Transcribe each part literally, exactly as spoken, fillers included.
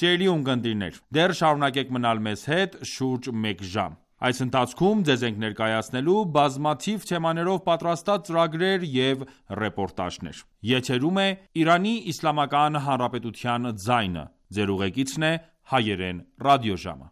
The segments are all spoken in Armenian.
Սիրելի ունկնդիրներ, դեռ շարունակեք մնալ մեզ հետ շուրջ մեկ ժամ: Այս ընթացքում ձեզ ենք ներկայացնելու բազմաթիվ թեմաներով պատրաստած ծրագրեր և ռեպորտաժներ: Եթերում է Իրանի Իսլամական Հանրապետության ձայնը: Ձեր ուղեկիցն է Հայերեն ռադիոժամը: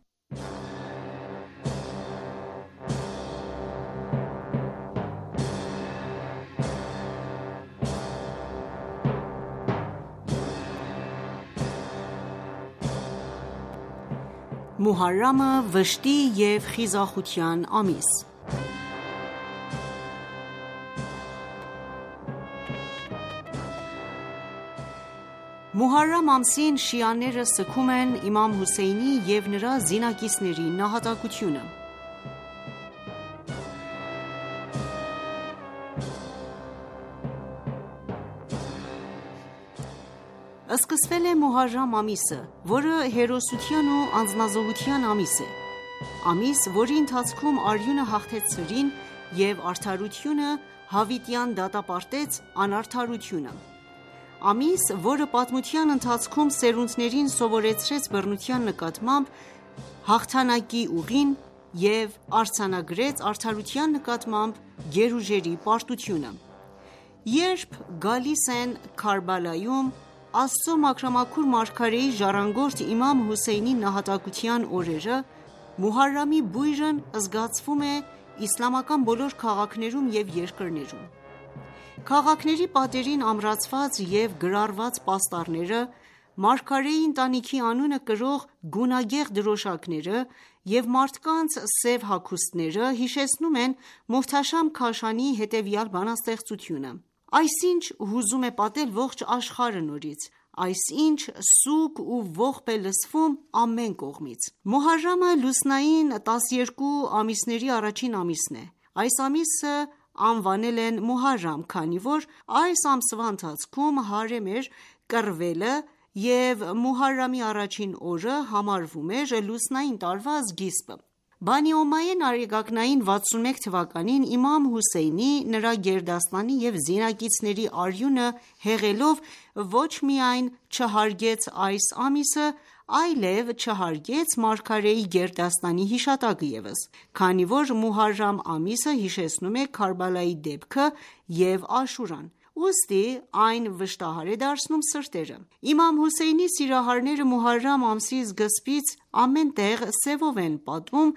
Մոհարրամը վշտի և խիզախության ամիս Մոհարրամ ամսին շիաները սգում են իմամ Հոսեյնի և նրա զինակիցների նահատակությունը: Սկսվել է Մոհարրամ ամիսը, որը հերոսության ու անձնազոհության ամիս է: Ամիս, որի ընթացքում արյունը հաղթեց ցրին և արդարությունը հավիտյան դատապարտեց անարդարությունը: Ամիս, որը պատմության ընթացքում սերունդներին սովորեցրեց բռնության նկատմամբ հաղթանակի ուղին և արձանագրեց արդարության նկատմամբ գերուժերի պարտությունը: Երբ գալիս են Քարբալայում Աստծո մաքրամաքուր մարգարեի ժառանգորդ իմամ Հոսեյնի նահատակության օրերը, Մոհարրամի բույրն զգացվում է իսլամական բոլոր քաղաքներում և երկրներում: Քաղաքների պատերին ամրացված և գրառված պաստառները, մարգարեի ընտանիքի անունը կրող գունագեղ դրոշակները և մարդկանց սև հագուստները հիշեցնում են Մոհթաշամ Քաշանիի հետևյալ բանաստեղծությունը. «Այսինչ հուզում է պատել ողջ աշխարհը նորից, այսինչ սուգ ու ողբ է լսվում ամեն կողմից»: Մոհարրամը լուսնային տասներկու ամիսների առաջին ամիսն է: Այս ամիսը անվանել են Մոհարրամ, քանի որ այս ամսվա ընթացքում Հարամ էր կռվելը և Մոհարրամի առաջին օրը համարվում էր լուսնային տարվա սկիզբը: Բանի Օմայյա տարեկան վաթսունմեկ թվականին իմամ Հոսեյնի, նրա գերդաստանի և զինակիցների արյունը հեղելով ոչ միայն չհարգեց այս ամիսը, այլև չհարգեց մարգարեի գերդաստանի հիշատակը ևս, քանի որ Մոհարրամ ամիսը հիշեցնում է Քարբալայի դեպքը և Աշուրան, ուստի այն վշտահար է դարձնում սրտերը: Իմամ Հոսեյնի սիրահարները Մոհարրամ ամսի սկզբից ամեն տեղ սևով են պատում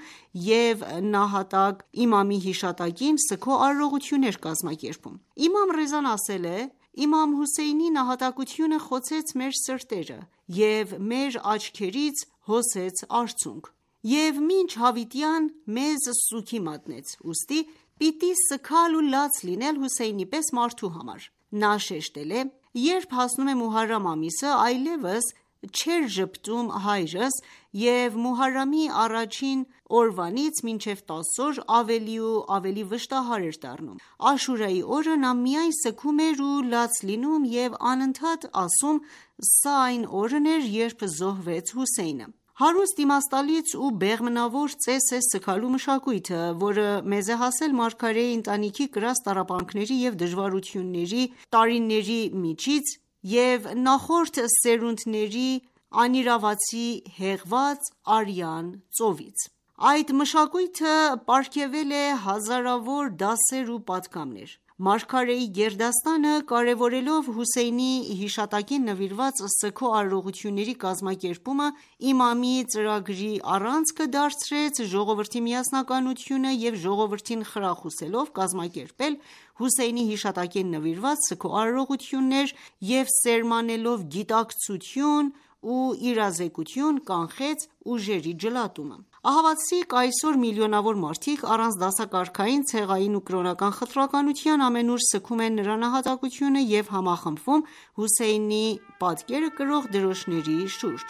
և նահատակ իմամի հիշատակին սգո արարողություններ կազմակերպում: Իմամ Ռեզան ասել է. «Իմամ Հոսեյնի նահատակությունը խոցեց մեր սրտերը և մեր աչքերից հոսեց արցունք և մինչ հավիտյան մեզ սուգի մատնեց, ուստի պիտի սգալ ու լաց լինել Հոսեյնի պես մարդու համար»: Նա շեշտել է. «Երբ հասնում է Մոհարրամ ամիսը, այլևս չէր ժպտում հայրս և Մոհարրամի առաջին օրվանից մինչև տասը օր ավելի ու ավելի վշտահար էր դառնում: Աշուրայի օրը նա միայն սգում էր ու լաց լինում և անընդհատ ասում. «Սա այն օրն էր, երբ զոհվեց Հոսեյնը»: Հարուստ, իմաստալից ու բեղմնավոր ծես է սգալու մշակույթը, որը մեզ է հասել մարգարեի ընտանիքի կրած տառապանքների և դժվարությունների տարիների միջից և նախորդ սերունդների անիրավացի հեղված արյան ծովից: Այդ մշակույթը պարգևել է հազարավոր դասեր ու պատգամներ: Մարգարեի գերդաստանը, կարևորելով Հոսեյնի հիշատակին նվիրված սգո արարողությունների կազմակերպումը, իմամի ծրագրի առանցքը դարձրեց ժողովրդի միասնականությունը և ժողովրդին խրախուսելով կազմակերպել Հոսեյնի հիշատակին նվիրված սգո արարողություններ և սերմանելով գիտակցություն ու իրազեկություն, կանխեց ուժերի ջլատումը: Ահավասիկ այսօր միլիոնավոր մարդիկ առանց դասակարգային, ցեղային ու կրոնական խտրականության ամենուր սգում են նրա նահատակությունը և համախմբվում Հոսեյնի պատկերը կրող դրոշների շուրջ: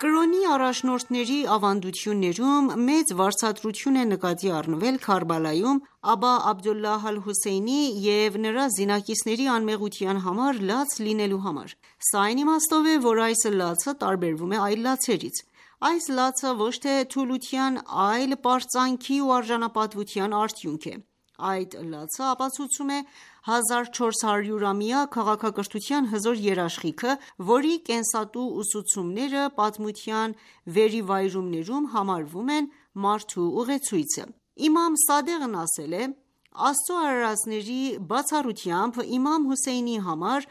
Կրոնի առաջնորդների ավանդություններում մեծ վարձատրություն է նկատի առնվել Քարբալայում Աբա Աբդոլլահ Ալ-Հոսեյնի և նրա զինակիցների անմեղության համար լաց լինելու համար: Սա այն իմաստով է, որ այս լացը տարբերվում է այլ լացերից: Այս լացը ոչ թե թուլության, այլ պարծանքի ու արժանապատվության արդյունք է: Այդ լացը ապացուցում է հազար չորս հարյուրամյա քաղաքակրթության հզոր երաշխիքը, որի կենսատու ուսուցումները պատմության վերիվայրումներում համարվում են մարդու ուղեցույցը: Իմամ Սադեղն ասել է. «Աստծու արարածների բացառությամբ, իմամ Հոսեյնի համար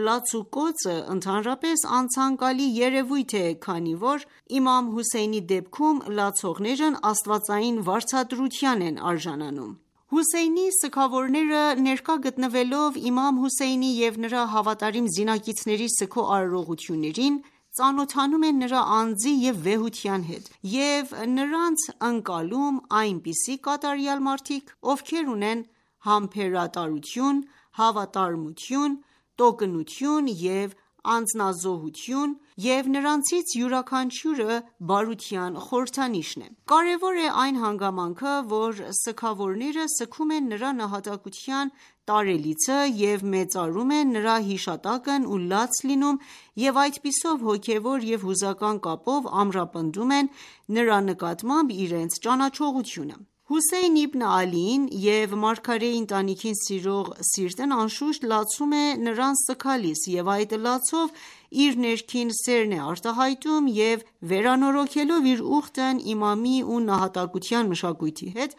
լացուկոծը ընդհանրապես անցանկալի երևույթ է, քանի որ իմամ Հոսեյնի դեպքում լացողներն աստվածային վարձատրության են արժանանում»: Հոսեյնի սգավորները ներկա գտնվելով իմամ Հոսեյնի և նրա հավատարիմ զինակիցների սգո արարողություններին, ծանոթանում են նրա անձի և վեհության հետ և նրանց ընկալում այնպիսի կատարյալ մարդիկ, ովքեր ունեն համբերատարություն, հավատարմություն, տոկունություն և անձնազոհություն և նրանցից յուրաքանչյուրը բարության խորհրդանիշն է: Կարևոր է այն հանգամանքը, որ սգավորները սգում են նրա նահատակության տարելիցը և մեծարում են նրա հիշատակն ու լաց լինում և այդպիսով հոգևոր և հուզական կապով ամրապնդում են նրա նկատմամբ իրենց ճանաչողությունը: Հոսեյն Իբն Ալիին և մարգարեի ընտանիքին սիրող սիրտն անշուշտ լացում է նրանց սգալիս և այդ լացով իր ներքին սերն է արտահայտում և վերանորոգելով իր ուխտն իմամի ու նահատակության մշակույթի հետ,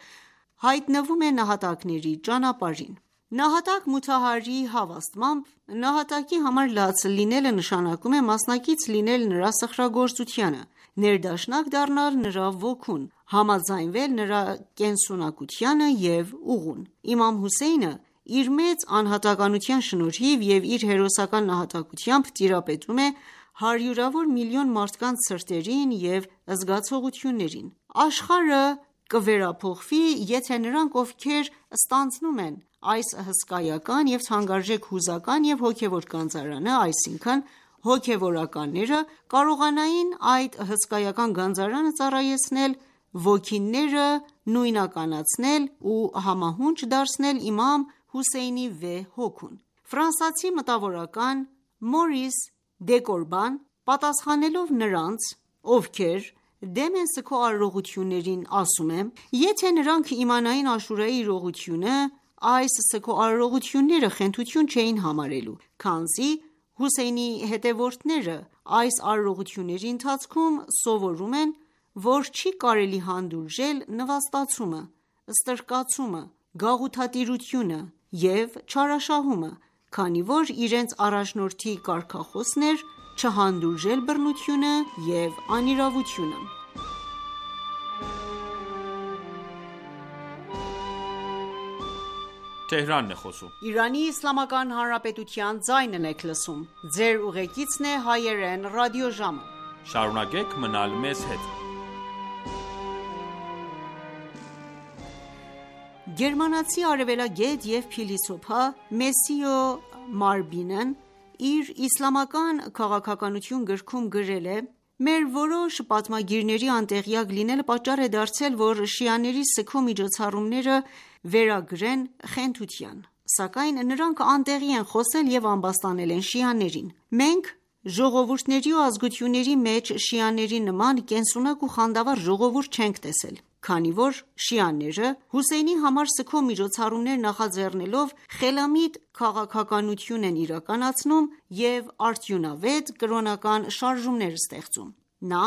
հայտնվում է նահատակների ճանապարհին: Նահատակ Մոթահարիի հավաստմամբ, նահատակի համար լաց լինելը նշանակում է մասնակից լինել նրա սխրագործությանը, ներդաշնակ դառնալ նրա ոգուն, համաձայնվել նրա կենսունակությանը և ուղուն: Իմամ Հոսեյնը իր մեծ անհատականության շնորհիվ և իր հերոսական նահատակությամբ տիրապետում է հարյուրավոր միլիոն մարդկանց սրտերին և զգացողություններին: Աշխարհը կվերափոխվի, եթե նրանք, ովքեր ստանձնում են այս հսկայական և թանկարժեք հուզական և հոգևոր գանձարանը, այսինքն հոգևորականները, կարողանային այդ հսկայական գանձարանը ծառայեցնել, ոգիները նույնականացնել ու համահունչ դարձնել իմամ Հոսեյնի վեհ հոգուն: Ֆրանսիացի մտավորական Մորիս Դեկոբրան, պատասխանելով նրանց, ովքեր դեմ են սգո արարողություններին, ասում է. «Եթե նրանք իմանային Աշուրայի իրողությունը, այս սգո արարողությունները խենթություն չէին համարելու, քանզի Հոսեյնի հետևորդները այս արարողությունների ընթացքում սովորում են, որ չի կարելի հանդուրժել նվաստացումը, ստրկացումը, գաղութատիրությունը և չարաշահումը, քանի որ իրենց առաջնորդի կարգախոսն էր չհանդուրժել բռնությունը և անիրավությունը»: Գերմանացի արևելագետ և փիլիսոփա Մեսիո Մարբինն իր «Իսլամական քաղաքականություն» գրքում գրել է. «Մեր որոշ պատմագիրների անտեղյակ լինելը պատճառ է դարձել, որ շիաների սգո միջոցառումները վերագրեն խենթության: Սակայն նրանք անտեղի են խոսել և ամբաստանել են շիաներին: Մենք ժողովուրդների ու ազգությունների մեջ շիաների նման կենսունակ ու խանդավառ ժողովուրդ չենք տեսել: Քանի որ շիաները Հոսեյնի համար սգո միջոցառումներ նախաձեռնելով խելամիտ քաղաքականություն են իրականացնում և արդյունավետ կրոնական շարժումներ ստեղծում: Նա,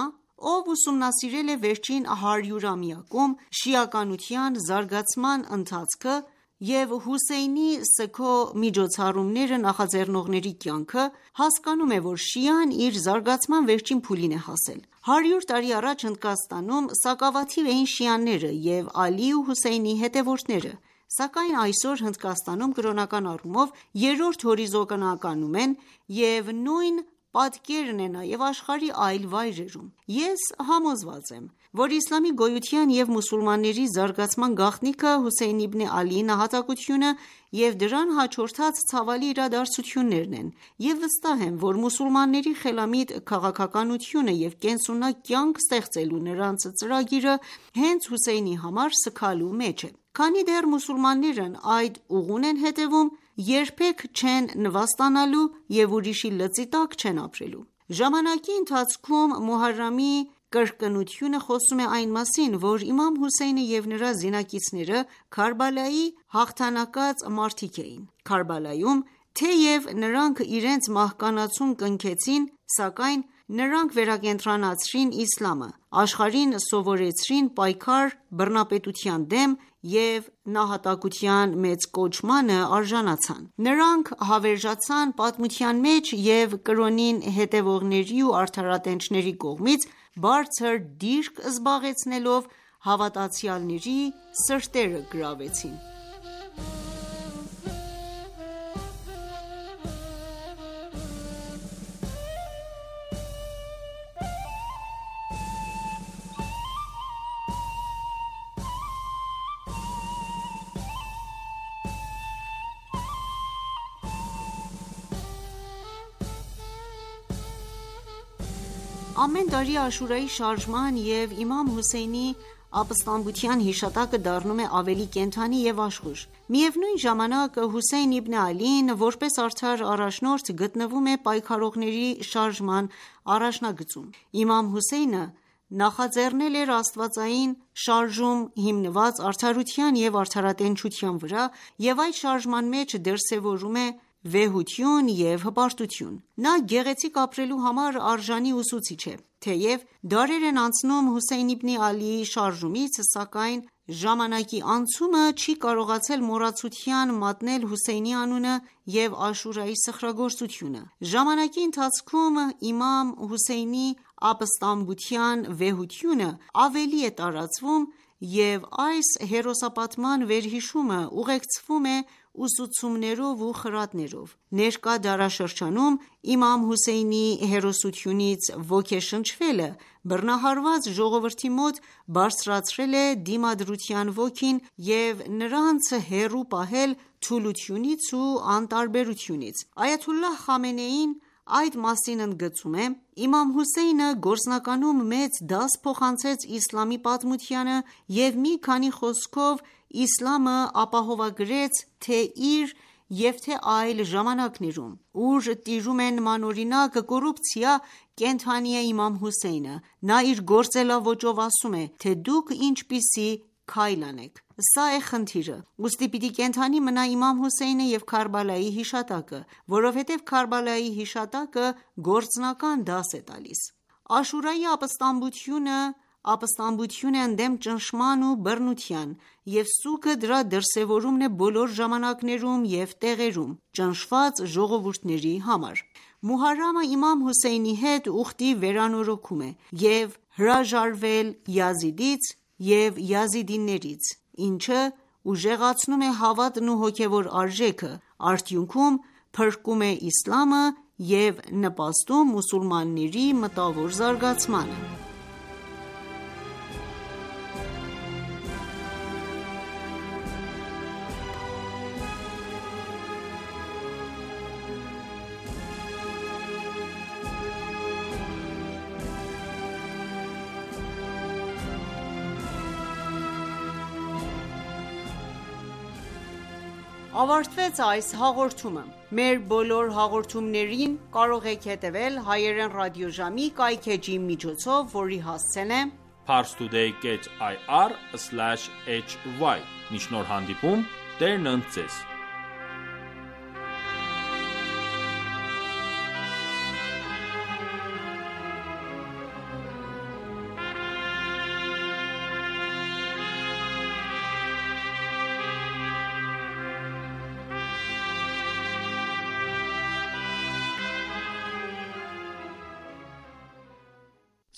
ով ուսումնասիրել է վերջին հարյուրամյակում շիականության զարգացման ընթացքը և Հոսեյնի սգո միջոցառումները նախաձեռնողների կյանքը, հասկանում է, որ շիան իր զարգացման վերջին փուլին է հասել: Հարյուր տարի առաջ Հնդկաստանում սակավաթիվ էին շիաները և Ալիի ու Հոսեյնի հետևորդները, սակայն այսօր Հնդկաստանում կրոնական առումով երրորդ հորիզոնականում են և նույն պատկերն է նաև աշխարհի այլ վայրերում։ Ես համոզված եմ, որ իսլամի գոյության և մուսուլմանների զարգացման գաղտնիքը Հոսեյն իբն Ալիի նահատակությունը և դրան հաջորդած ցավալի իրադարձություններն են, և վստահ եմ, որ մուսուլմանների խելամիտ քաղաքականությունը և կենսունակ կյանք ստեղծելու նրանց ծրագիրը հենց Հոսեյնի համար սգալու մեջ է։ Քանի դեռ մուսուլմաններն այդ ուղուն են հետևում, երբեք չեն նվաստանալու և ուրիշի լծի տակ չեն ապրելու։ Ժամանակի ընթացքում Մոհարրամի կրկնությունը խոսում է այն մասին, որ իմամ Հոսեյնը և նրա զինակիցները Քարբալայի հաղթանակած մարդիկ էին։ Քարբալայում, թեև նրանք իրենց մահկանացուն կնքեցին, սակայն նրանք վերակենդանացրին իսլամը, աշխարհին սովորեցրին պայքար բռնապետության դեմ և նահատակության մեծ կոչմանը արժանացան։ Նրանք հավերժացան պատմության մեջ և կրոնին հետևողների ու արդարատենչների կողմից բարձր դիրք զբաղեցնելով հավատացյալների սրտերը գրավեցին։ Ամեն տարի Աշուրայի շարժման և իմամ Հոսեյնի ապստամբության հիշատակը դառնում է ավելի կենդանի և աշխույժ։ Միևնույն ժամանակ, Հոսեյն իբն Ալին, որպես արդար առաջնորդ, գտնվում է պայքարողների շարժման առաջնագծում։ Իմամ Հոսեյնը նախաձեռնել էր աստվածային շարժում հիմնված արդարության և արդարատենչության վրա և այդ շարժման մեջ դրսևորում է վեհություն և հպարտություն։ Նա գեղեցիկ ապրելու համար արժանի ուսուցիչ է։ Թեև դարեր են անցնում Հոսեյն իբն Ալիի շարժումից, սակայն ժամանակի անցումը չի կարողացել մոռացության մատնել Հոսեյնի անունը և Աշուրայի սխրագործությունը։ Ժամանակի ընթացքում իմամ Հոսեյնի ապստամբության վեհությունը ավելի է տարածվում և այս հերոսապատման վերհիշումը ուղեկցվում է ուսուցումներով ու խրատներով։ Ներկա դարաշրջանում իմամ Հոսեյնի հերոսությունից ոգեշնչվելը բռնահարված ժողովրդի մոտ բարձրացրել է դիմադրության ոգին և նրանց հեռու պահել թուլությունից ու անտարբերությունից։ Այաթոլլահ Խամենեին այդ մասին ընդգծում է. «Իմամ Հոսեյնը գործնականում մեծ դաս փոխանցեց իսլամի պատմությանը և մի քանի խոսքով իսլամը ապահովագրեց թե իր և թե այլ ժամանակներում, ուր տիրում է նմանօրինակ կոռուպցիա, կենդանի է իմամ Հոսեյնը։ Նա իր գործելաոճով ասում է, թե դուք ինչպիսի քայլ անեք։ Սա է խնդիրը։ Ուստի պիտի կենդանի մնա իմամ Հոսեյնը և Քարբալայի հիշատակը, որովհետև Քարբալայի հիշատակը գործնական դաս է տալիս։ Աշուրայի ապստամբությունը ապստամբություն է ընդդեմ ճնշման ու բռնության, և սուգը դրա դրսևորումն է բոլոր ժամանակներում և տեղերում ճնշված ժողովուրդների համար։ Մոհարրամը իմամ Հոսեյնի հետ ուխտի վերանորոգում է և հրաժարվել Յազիդից և յազիդիներից, ինչը ուժեղացնում է հավատն ու հոգևոր արժեքը, արդյունքում փրկում է իսլամը և նպաստում մուսուլմանների մտավոր զարգացմանը»։ Ավարտվեց այս հաղորդումը։ Մեր բոլոր հաղորդումներին կարող եք հետևել հայերեն ռադիոժամի կայքէջի միջոցով, որի հասցեն է parstoday dot i r slash h y։ Մինչ նոր հանդիպում, Տերն ընդ ձեզ։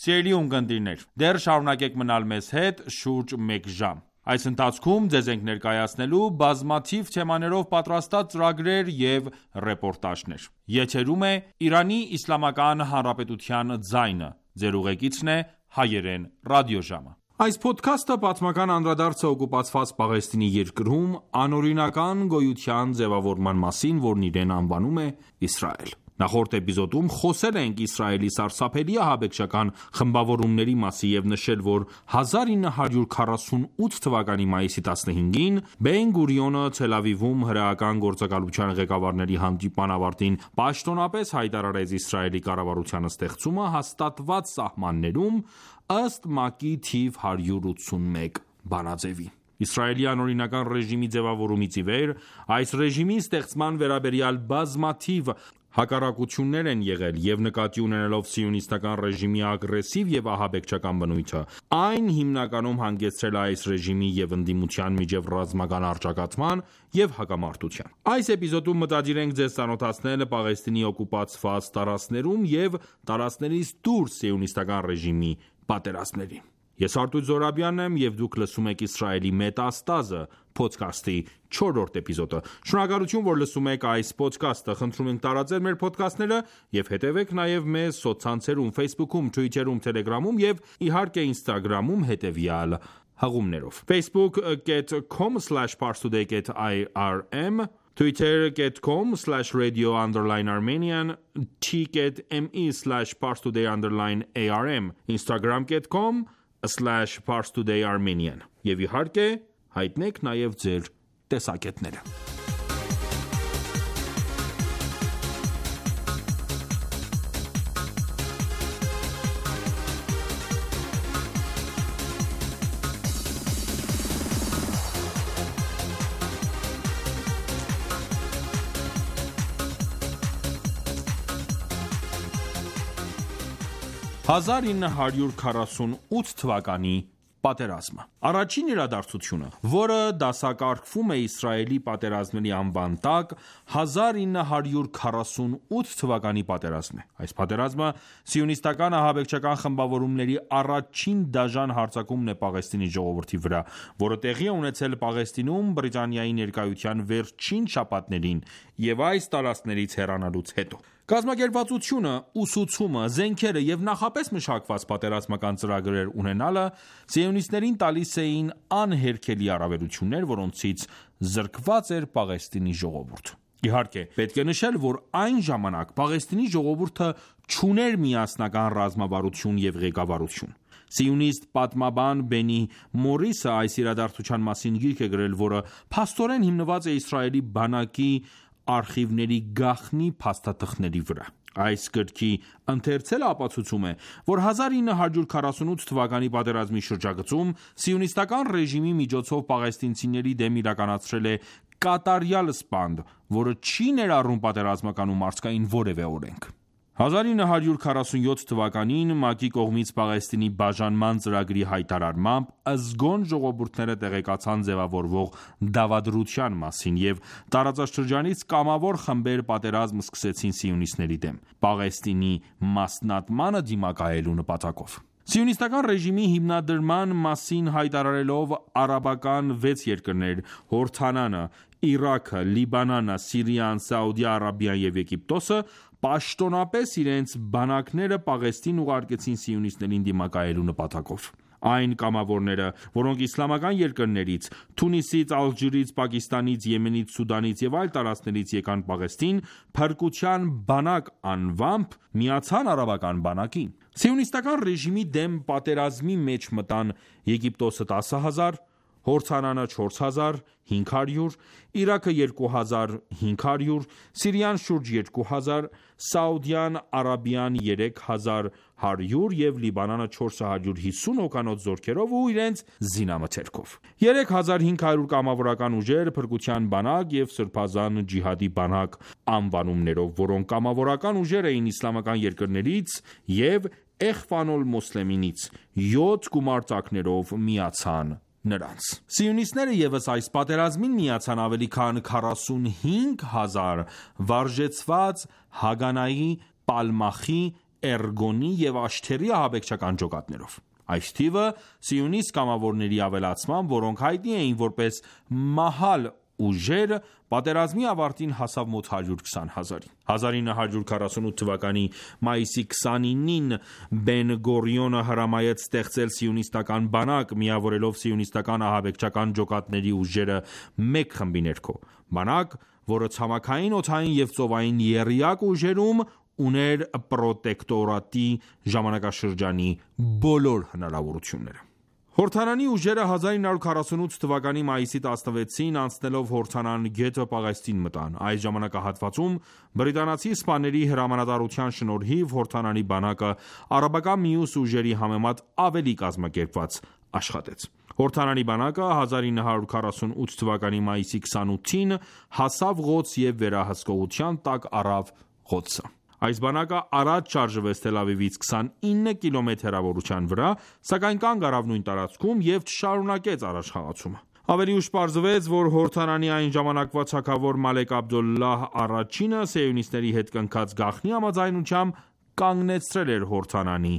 Սիրելի ունկնդիրներ, դեռ շարունակեք մնալ մեզ հետ շուրջ մեկ ժամ։ Այս ընթացքում ձեզ ենք ներկայացնելու բազմաթիվ թեմաներով պատրաստած ծրագրեր և ռեպորտաժներ։ Եթերում է Իրանի Իսլամական Հանրապետության ձայնը։ Ձեր ուղեկիցն է Հայերեն ռադիոժամը։ Այս փոդքասթը պատմական անդրադարձ է օկուպացված Պաղեստինի երկրում անօրինական գոյության ձևավորման մասին, որն իրեն անվանում է Իսրայել։ Նախորդ էպիզոդում խոսել ենք Իսրայելի սարսափելի ահաբեկչական խմբավորումների մասին և նշել, որ հազար ինը հարյուր քառասունութ թվականի մայիսի տասնհինգին Բեն Գուրիոնը Թել Ավիվում հրեական գործակալության ղեկավարների հանդիպման ավարտին պաշտոնապես հայտարարեց Իսրայելի կառավարության ստեղծումը հաստատված սահմաններում ըստ ՄԱԿ-ի թիվ հարյուր ութսունմեկ բանաձևի։ Իսրայելի անօրինական ռեժիմի ձևավորումից ի վեր այս ռեժիմի ստեղծման վերաբերյալ բազմաթիվ հակառակություններ են եղել և նկատի ունենալով սիոնիստական ռեժիմի ագրեսիվ և ահաբեկչական բնույթը, այն հիմնականում հանգեցրել է այս ռեժիմի և ընդդիմության միջև ռազմական առճակատման և հակամարտության։ Այս էպիզոդում մտադիր ենք ձեզ ծանոթացնել Պաղեստինի օկուպացված տարածքներում և տարածքներից դուրս սիոնիստական ռեժիմի պատերազմներին։ Ես Արտույտ Զոհրաբյանն եմ և դուք լսում եք Իսրայելի մետաստազը փոդքասթի չորրորդ էպիզոդը։ Շնորհակալություն, որ լսում եք այս փոդքասթը։ Խնդրում ենք տարածել մեր փոդքասթները և հետևեք նաև մեզ սոցցանցերում Facebook-ում, Twitter-ում, Telegram-ում և իհարկե Instagram-ում հետևյալ հղումներով. Facebook dot com slash parstoday dot I R M Twitter dot com slash radio underline Armenian T.me slash parstoday underline A R M Instagram dot com slash parstoday Armenian Եվ իհարկե հայտնեք նաև ձեր տեսակետները։ հազար ինը հարյուր քառասունութ թվականի պատերազմը։ Առաջին իրադարձությունը, որը դասակարգվում է Իսրայելի պատերազմների անվան տակ, հազար ինը հարյուր քառասունութ թվականի պատերազմն է։ Այս պատերազմը սիոնիստական ահաբեկչական խմբավորումների առաջին դաժան հարձակումն է Պաղեստինի ժողովրդի վրա, որը տեղի է ունեցել Պաղեստինում Բրիտանիայի ներկայության վերջին շաբաթներին և այս տարածքներից հեռանալուց հետո։ Կազմակերպվածությունը, ուսուցումը, զենքերը և նախապես մշակված պատերազմական ծրագրեր ունենալը սիոնիստներին տալիս էին անհերքելի առավելություններ, որոնցից զրկված էր Պաղեստինի ժողովուրդը։ Իհարկե, պետք է նշել, որ այն ժամանակ Պաղեստինի ժողովուրդը չուներ միասնական ռազմավարություն և ղեկավարություն։ Սիոնիստ պատմաբան Բենի Մորիսը այս իրադարձության մասին գիրք է գրել, որը փաստորեն հիմնված է Իսրայելի բանակի արխիվների գաղտնի փաստաթղթերի վրա։ Այս գրքի ընթերցելը ապացուցում է, որ հազար ինը հարյուր քառասունութ թվականի պատերազմի շրջագծում սիոնիստական ռեժիմի միջոցով պաղեստինցիների դեմ իրականացրել է կատարյալ սպանդ, որը չի ներառում պատերազմական ու մարդկային որևէ օրենք։ հազար ինը հարյուր քառասունյոթ թվականին ՄԱԿ-ի կողմից Պաղեստինի բաժանման ծրագրի հայտարարմամբ զգոն ժողովուրդները տեղեկացան ձևավորվող դավադրության մասին և տարածաշրջանից կամավոր խմբեր պատերազմ սկսեցին սիոնիստների դեմ, Պաղեստինի մասնատմանը դիմակայելու նպատակով։ Սիոնիստական ռեժիմի հիմնադրման մասին հայտարարելով արաբական վեց երկրներ՝ Հորդանանը, Իրաքը, Լիբանանը, Սիրիան, Սաուդյան Արաբիան և Եգիպտոսը պաշտոնապես իրենց բանակները Պաղեստին ուղարկեցին սիոնիստներին դիմակայելու նպատակով։ Այն կամավորները, որոնք իսլամական երկրներից՝ Թունիսից, Ալժիրից, Պակիստանից, Եմենից, Սուդանից և այլ տարածքներից եկան Պաղեստին, փրկության բանակ անվամբ միացան արաբական բանակին։ Սիոնիստական ռեժիմի դեմ պատերազմի մեջ մտան Եգիպտոսը տասը հազար, Հորդանանը չորս հազար հինգ հարյուր, Իրաքը երկու հազար հինգ հարյուր, Սիրիան շուրջ երկու հազար, Սաուդյան Արաբիան երեք հազար հարյուր և Լիբանանը չորս հարյուր հիսուն հոգանոց զորքերով ու իրենց զինամթերքով։ երեք հազար հինգ հարյուր կամավորական ուժեր, փրկության բանակ և սրբազան ջիհադի բանակ անվանումներով, որոնք կամավորական ուժեր էին իսլամական երկրներից և Էխվան օլ-Մոսլեմինից, յոթ գումարտակներով միացան նրանց։ Սիոնիստները ևս այս պատերազմին միացան ավելի քան քառասունհինգ հազար վարժեցված Հագանայի, Պալմախի, Էրգոնի և Աշթերի ահաբեկչական ջոկատներով։ Այս թիվը սիոնիստ կամավորների ավելացմամբ, որոնք հայտնի էին որպես մահալ ուժեր, պատերազմի ավարտին հասավ մոտ հարյուր քսան հազարի: հազար ինը հարյուր քառասունութ թվականի մայիսի քսանինին Բեն Գորիոնը հրամայեց ստեղծել սիոնիստական բանակ, միավորելով սիոնիստական ահաբեկչական ջոկատների ուժերը մեկ խմբի ներքո: Բանակ, որը ցամաքային, օդային և ծովային եռյակ ուժերում ուներ պրոտեկտորատի ժամանակաշրջանի բոլոր հնարավորությունները: Հորդանանի ուժերը հազար ինը հարյուր քառասունութ թվականի մայիսի տասնվեցին անցնելով Հորդանան գետը Պաղեստին մտան: Այս ժամանակահատվածում բրիտանացի սպաների հրամանատարության շնորհիվ Հորդանանի բանակը արաբական մյուս ուժերի համեմատ ավելի կազմակերպված աշխատեց: Հորդանանի բանակը հազար ինը հարյուր քառասունութ թվականի մայիսի քսանութին հասավ Ղոդս և վերահսկողության տակ առավ Ղոդսը: Այս բանակը առաջ շարժվեց Թել Ավիվից քսանինը կիլոմետր հեռավորության վրա, սակայն կանգ առավ նույն տարածքում և չշարունակեց առաջխաղացումը: Ավելի ուշ պարզվեց, որ Հորդանանի այն ժամանակվա թագավոր Մալեք Աբդոլլահ առաջինը սիոնիստների հետ կնքած գաղտնի համաձայնությամբ կանգնեցրել էր Հորդանանի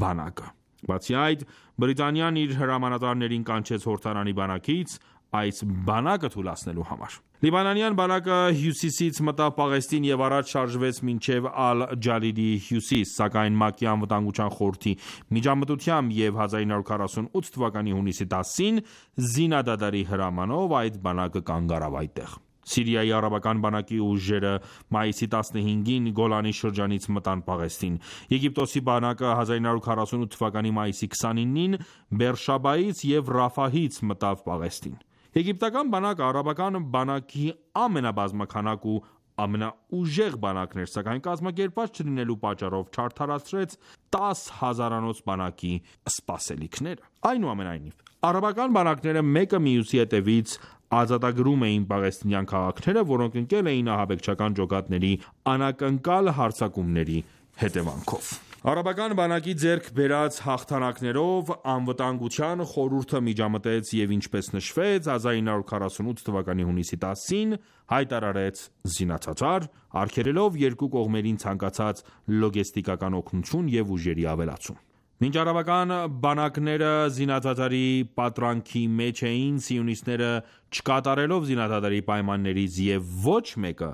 բանակը: Բացի այդ, Բրիտանիան իր հրամանատարներին կանչեց Հորդանանի բանակից այս բանակը թուլացնելու համար: Լիբանանյան բանակը հյուսիսից մտավ Պաղեստին և առաջ շարժվեց մինչև Ալ-Ջալիլի հյուսիս, սակայն ՄԱԿ-ի Անվտանգության խորհրդի միջամտությամբ և հազար ինը հարյուր քառասունութ թվականի հունիսի տասին զինադադարի հրամանով այդ բանակը կանգ առավ այդտեղ: Սիրիայի արաբական բանակի ուժերը մայիսի տասնհինգին Գոլանի շրջանից մտան Պաղեստին: Եգիպտոսի բանակը հազար ինը հարյուր քառասունութ թվականի մայիսի քսանինին Բերշաբայից և Ռաֆահից մտավ Պաղեստին: Եգիպտական բանակը արաբական բանակի ամենաբազմաքանակ ու ամենաուժեղ բանակն էր, սակայն կազմակերպված չլինելու պատճառով չարդարացրեց տաս հազարանոց բանակի սպասելիքները: Այնուամենայնիվ, արաբական բանակները մեկը մյուսի հետևից ազատագրում էին պաղեստինյան քաղաքները, որոնք ընկել էին ահաբեկչական ջոկատների անակնկալ հարձակումների հետևանքով: Արաբական բանակի ձեռք բերած հաղթանակներով Անվտանգության խորհուրդը միջամտեց և ինչպես նշվեց, հազար ինը հարյուր քառասունութ թվականի հունիսի տասին հայտարարեց զինադադար, արգելելով երկու կողմերին ցանկացած լոգեստիկական օգնություն և ուժերի ավելացում: Մինչ արաբական բանակները զինադադարի պատրանքի մեջ էին, սիոնիստները չկատարելով զինադադարի պայմաններից և ոչ մեկը,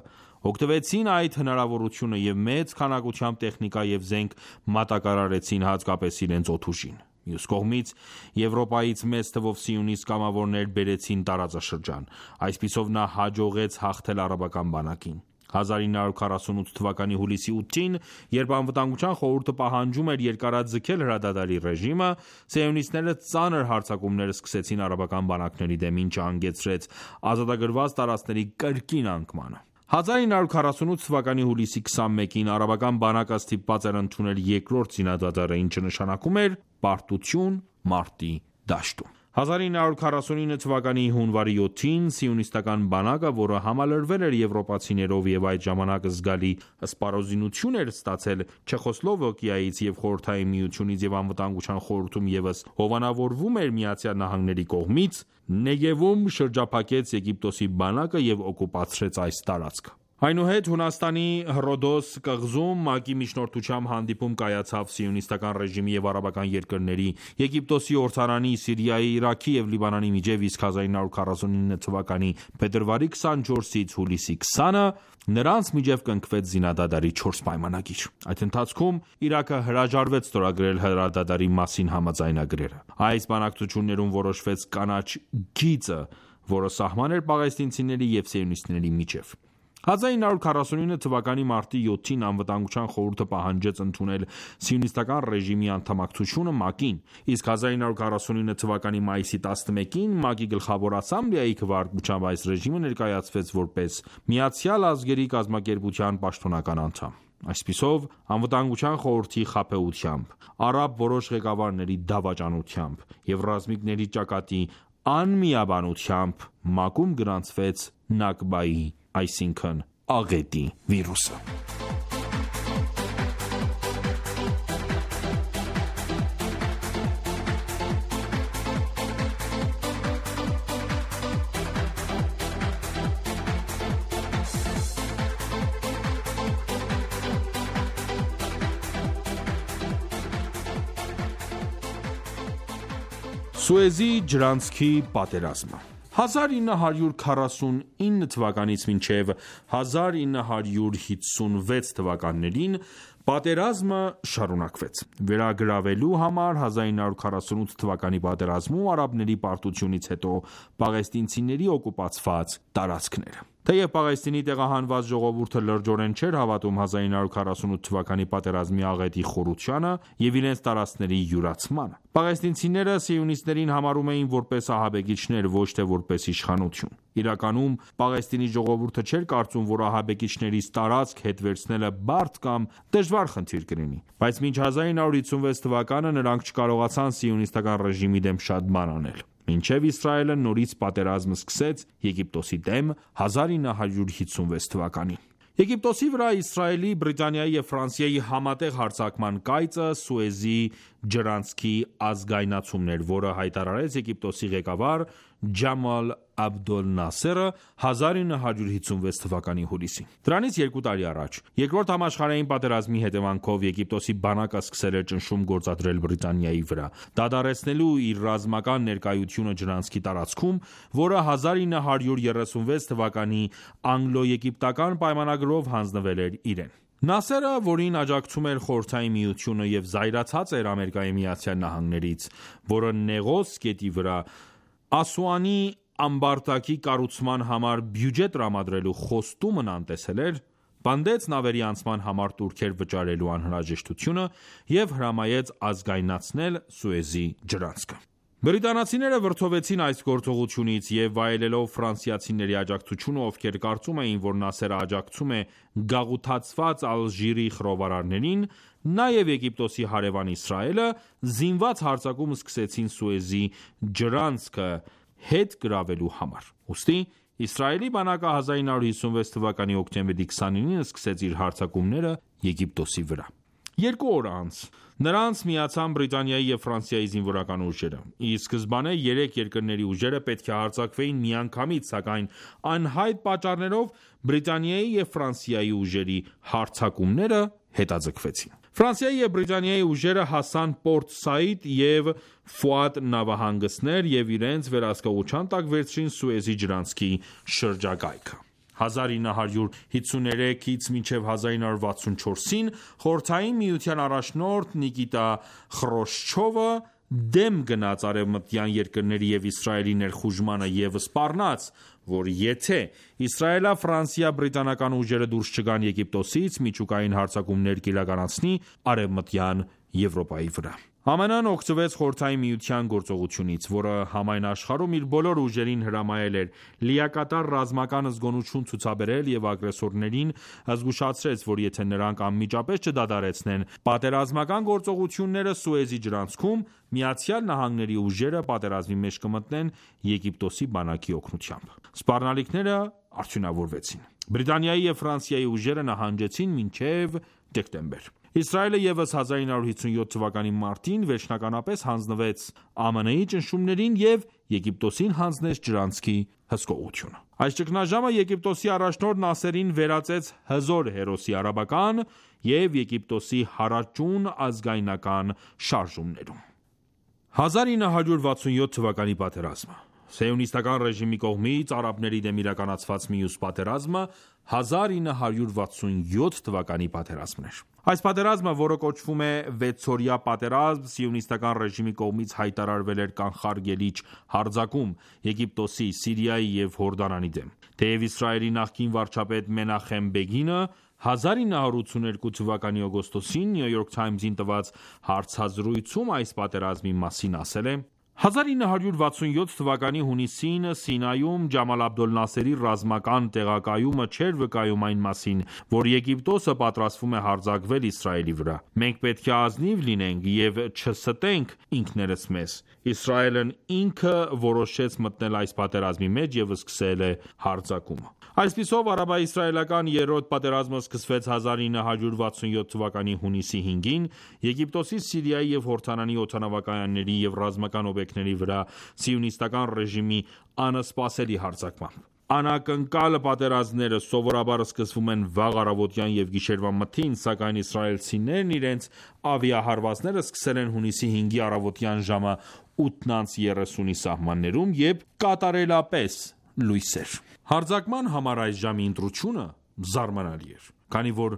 օգտվեցին այդ հնարավորությունը և մեծ քանակությամբ տեխնիկա և զենք մատակարարեցին հատկապես իրենց օդուժին: Մյուս կողմից, Եվրոպայից մեծ թվով սիոնիստ կամավորներ բերեցին տարածաշրջան: Այսպիսով նա հաջողեց հաղթել արաբական բանակին: հազար ինը հարյուր քառասունութ թվականի հուլիսի ութին, երբ Անվտանգության խորհուրդը պահանջում էր երկարաձգել հրադադարի ռեժիմը, սիոնիստները ծանր հարձակումներ սկսեցին արաբական բանակների դեմ, ինչը հանգեցրեց ազատագրված տարածքների կրկին անկմանը: հազար ինը հարյուր քառասունութ թվականի հուլիսի քսանմեկին արաբական բանակը ստիպված էր ընդունել երկրորդ զինադադարը, ինչը նշանակում էր պարտություն մարտի դաշտում: հազար ինը հարյուր քառասունինը թվականի հունվարի յոթին սիոնիստական բանակը, որը համալրվել էր եվրոպացիներով և այդ ժամանակ զգալի սպառազինություն էր ստացել Չեխոսլովակիայից և Խորհրդային Միությունից և Անվտանգության խորհրդում ևս հովանավորվում էր ԱՄՆ-ի կողմից, Նեգևում շրջափակեց Եգիպտոսի բանակը և օկուպացրեց այս տարածքը: Այնուհետ Հունաստանի Հռոդոս կղզում ՄԱԿ-ի միջնորդությամբ հանդիպում կայացավ սիոնիստական ռեժիմի և արաբական երկրների, Եգիպտոսի, Հորդանանի, Սիրիայի, Իրաքի և Լիբանանի միջև, իսկ հազար ինը հարյուր քառասունինը թվականի փետրվարի քսանչորսից հուլիսի քսանը նրանց միջև կնքվեց զինադադարի չորս պայմանագիր: Այդ ընթացքում Իրաքը հրաժարվեց ստորագրել հրադադարի մասին համաձայնագրերը: Այս բանակցություններում որոշվեց կանաչ գիծը, որը սահման էր պաղեստինցիների և սիոնիստների միջև: հազար ինը հարյուր քառասունինը թվականի մարտի յոթին Անվտանգության խորհուրդը պահանջեց ընդունել սիոնիստական ռեժիմի անդամակցությունը ՄԱԿ-ին, իսկ հազար ինը հարյուր քառասունինը թվականի մայիսի տասնմեկին ՄԱԿ-ի Գլխավոր ասամբլեայի քվեարկությամբ այս ռեժիմը ներկայացվեց որպես Միացյալ ազգերի կազմակերպության պաշտոնական անդամ: Այսպիսով, Անվտանգության խորհրդի խաբեությամբ, արաբ որոշ ղեկավարների դավաճանությամբ և ռազմիկների ճակատի անմիաբանությամբ ՄԱԿ-ում գրանցվեց Նաքբայի, այսինքն աղետի վիրուսը: Սուեզի ջրանցքի պատերազմը հազար ինը հարյուր քառասունինը թվականից մինչև հազար ինը հարյուր հիսունվեց թվականներին պատերազմը շարունակվեց: Վերագրավելու համար հազար ինը հարյուր քառասունութ թվականի պատերազմում արաբների պարտությունից հետո պաղեստինցիների օկուպացված տարածքները: Թեև Պաղեստինի տեղահանված ժողովուրդը լրջորեն չէր հավատում հազար ինը հարյուր քառասունութ թվականի պատերազմի աղետի խորությանը և իրենց տարածքների յուրացմանը: Պաղեստինցիները սիոնիստներին համարում էին որպես ահաբեկիչներ, ոչ թե որպես իշխանություն: Իրականում Պաղեստինի ժողովուրդը չէր կարծում, որ ահաբեկիչներից տարածք հետ վերցնելը բարդ կամ դժվար խնդիր կլինի: Բայց մինչ հազար ինը հարյուր հիսունվեց թվականը նրանք չկարողացան սիոնիստական ռեժիմի դեմ շատ բան անել: Մինչև Իսրայելը նորից պատերազմ սկսեց Եգիպտոսի դեմ հազար ինը հարյուր հիսունվեց թվականին: Եգիպտոսի վրա Իսրայելի, Բրիտանիայի և Ֆրանսիայի համատեղ հարձակման կայծը Սուեզի ջրանցքի ազգայնացումն էր, որը հայտարարեց Եգիպտոսի ղեկավար Ջամալ Աբդոլ Նասերը հազար ինը հարյուր հիսունվեց թվականի հուլիսին: Դրանից երկու տարի առաջ Երկրորդ համաշխարհային պատերազմի հետևանքով Եգիպտոսի բանակը սկսել էր ճնշում գործադրել Բրիտանիայի վրա՝ դադարեցնելու իր ռազմական ներկայությունը ջրանցքի տարածքում, որը հազար ինը հարյուր երեսունվեց թվականի անգլո-եգիպտական պայմանագրով հանձնվել էր իրեն: Նասերը, որին աջակցում էր Խորհրդային Միությունը և զայրացած էր ԱՄՆ-ից, որը Նեղոս գետի վրա Ասուանի ամբարտակի կառուցման համար բյուջե տրամադրելու խոստումն անտեսել էր, պնդեց նավերի անցման համար տուրքեր վճարելու անհրաժեշտությունը և հրամայեց ազգայնացնել Սուեզի ջրանցքը: Բրիտանացիները վրդովվեցին այս գործողությունից և վայելելով ֆրանսիացիների աջակցությունը, ովքեր կարծում էին, որ Նասերը աջակցում է գաղութացված Ալժիրի խռովարարներին, նաև Եգիպտոսի հարևան Իսրայելը, զինված հարձակում սկսեցին Սուեզի ջրանցքը հետ գրավելու համար: Ուստի Իսրայելի բանակը հազար ինը հարյուր հիսունվեց թվականի հոկտեմբերի քսանինին սկսեց իր հարձակումները Եգիպտոսի վրա: Երկու օր անց նրանց միացան Բրիտանիայի և Ֆրանսիայի զինվորական ուժերը: Ի սկզբանե երեք երկրների ուժերը պետք է հարձակվեին միանգամից, սակայն անհայտ պատճառներով Բրիտանիայի և Ֆրանսիայի ուժերի հարձակումները հետաձգվեցին: Ֆրանսիայի և Բրիտանիայի ուժերը հասան Պորտ Սաիդ և Ֆուադ նավահանգիստներ և իրենց վերահսկողության տակ վերցրին Սուեզի ջրանցքի շրջակայքը: հազար ինը հարյուր հիսուներեքից մինչև հազար ինը հարյուր վաթսունչորսին Խորհրդային Միության առաջնորդ Նիկիտա Խրուշչովը դեմ գնաց արևմտյան երկրների և Իսրայելի ներխուժմանը և սպառնաց, որ եթե իսրայելա-ֆրանսիա-բրիտանական ուժերը դուրս չգան Եգիպտոսից, միջուկային հարձակումներ կիրականացնի Արևմտյան Եվրոպայի վրա: ԱՄՆ-ն օգտվեց Խորհրդային Միության գործողությունից, որը համայն աշխարհում իր բոլոր ուժերին հրամայել էր լիակատար ռազմական զգոնություն ցուցաբերել և ագրեսորներին զգուշացրեց, որ եթե նրանք անմիջապես չդադարեցնեն պատերազմական գործողությունները Սուեզի ջրանցքում, ԱՄՆ-ի ուժերը պատերազմի մեջ կմտնեն Եգիպտոսի բանակի օգնությամբ: Սպառնալիքները արդյունավորվեցին: Բրիտանիայի և Ֆրանսիայի ուժերը նահանջեցին մինչև դեկտեմբեր: Իսրայելը ևս հազար ինը հարյուր հիսունյոթ թվականի մարտին վերջնականապես հանձնվեց ԱՄՆ-ի ճնշումներին և Եգիպտոսին հանձնեց ջրանցքի հսկողությունը: Այս ճգնաժամը Եգիպտոսի առաջնորդ Նասերին վերածեց հզոր հերոսի արաբական և Եգիպտոսի հարաճուն ազգայնական շարժումներում: հազար ինը հարյուր վաթսունյոթ թվականի պատերազմը Սիոնիստական ռեժիմի կողմից արաբների դեմ իրականացված մյուս պատերազմը հազար ինը հարյուր վաթսունյոթ թվականի պատերազմն էր: Այս պատերազմը, որը կոչվում է վեցօրյա պատերազմ, սիոնիստական ռեժիմի կողմից հայտարարվել էր կանխարգելիչ հարձակում Եգիպտոսի, Սիրիայի և Հորդանանի դեմ: Թեև Իսրայելի նախկին վարչապետ Մենախեմ Բեգինը հազար ինը հարյուր ութսուներկու թվականի օգոստոսին New York Times-ին տված հարցազրույցում այս պատերազմի մասին ասել է. «Հազար ինը հարյուր վաթսունյոթ թվականի հունիսին Սինայում Ջամալ Աբդոլ Նասերի ռազմական տեղակայումը չէր վկայում այն մասին, որ Եգիպտոսը պատրաստվում է հարձակվել Իսրայելի վրա: Մենք պետք է ազնիվ լինենք և չստենք ինքներս մեզ: Իսրայելն ինքը որոշեց մտնել այս պատերազմի մեջ և սկսել է հարձակումը»: Այսպիսով արաբա-իսրայելական երրորդ պատերազմը սկսվեց հազար ինը հարյուր վաթսունյոթ թվականի հունիսի հինգին Եգիպտոսի, Սիրիայի և Հորդանանի օդանավակայանների և ռազմական օբյեկտների վրա սիոնիստական ռեժիմի անսպասելի հարձակմամբ: Անակնկալ պատերազմները սովորաբար սկսվում են վաղ առավոտյան և գիշերվա մթին, սակայն իսրայելցիներն իրենց ավիահարվածները սկսել են հունիսի հինգի առավոտյան ժամը ութ երեսունի սահմաններում, երբ կատարելապես լույս էր։ Հարձակման համար այս ժամի ընտրությունը զարմանալի էր, քանի որ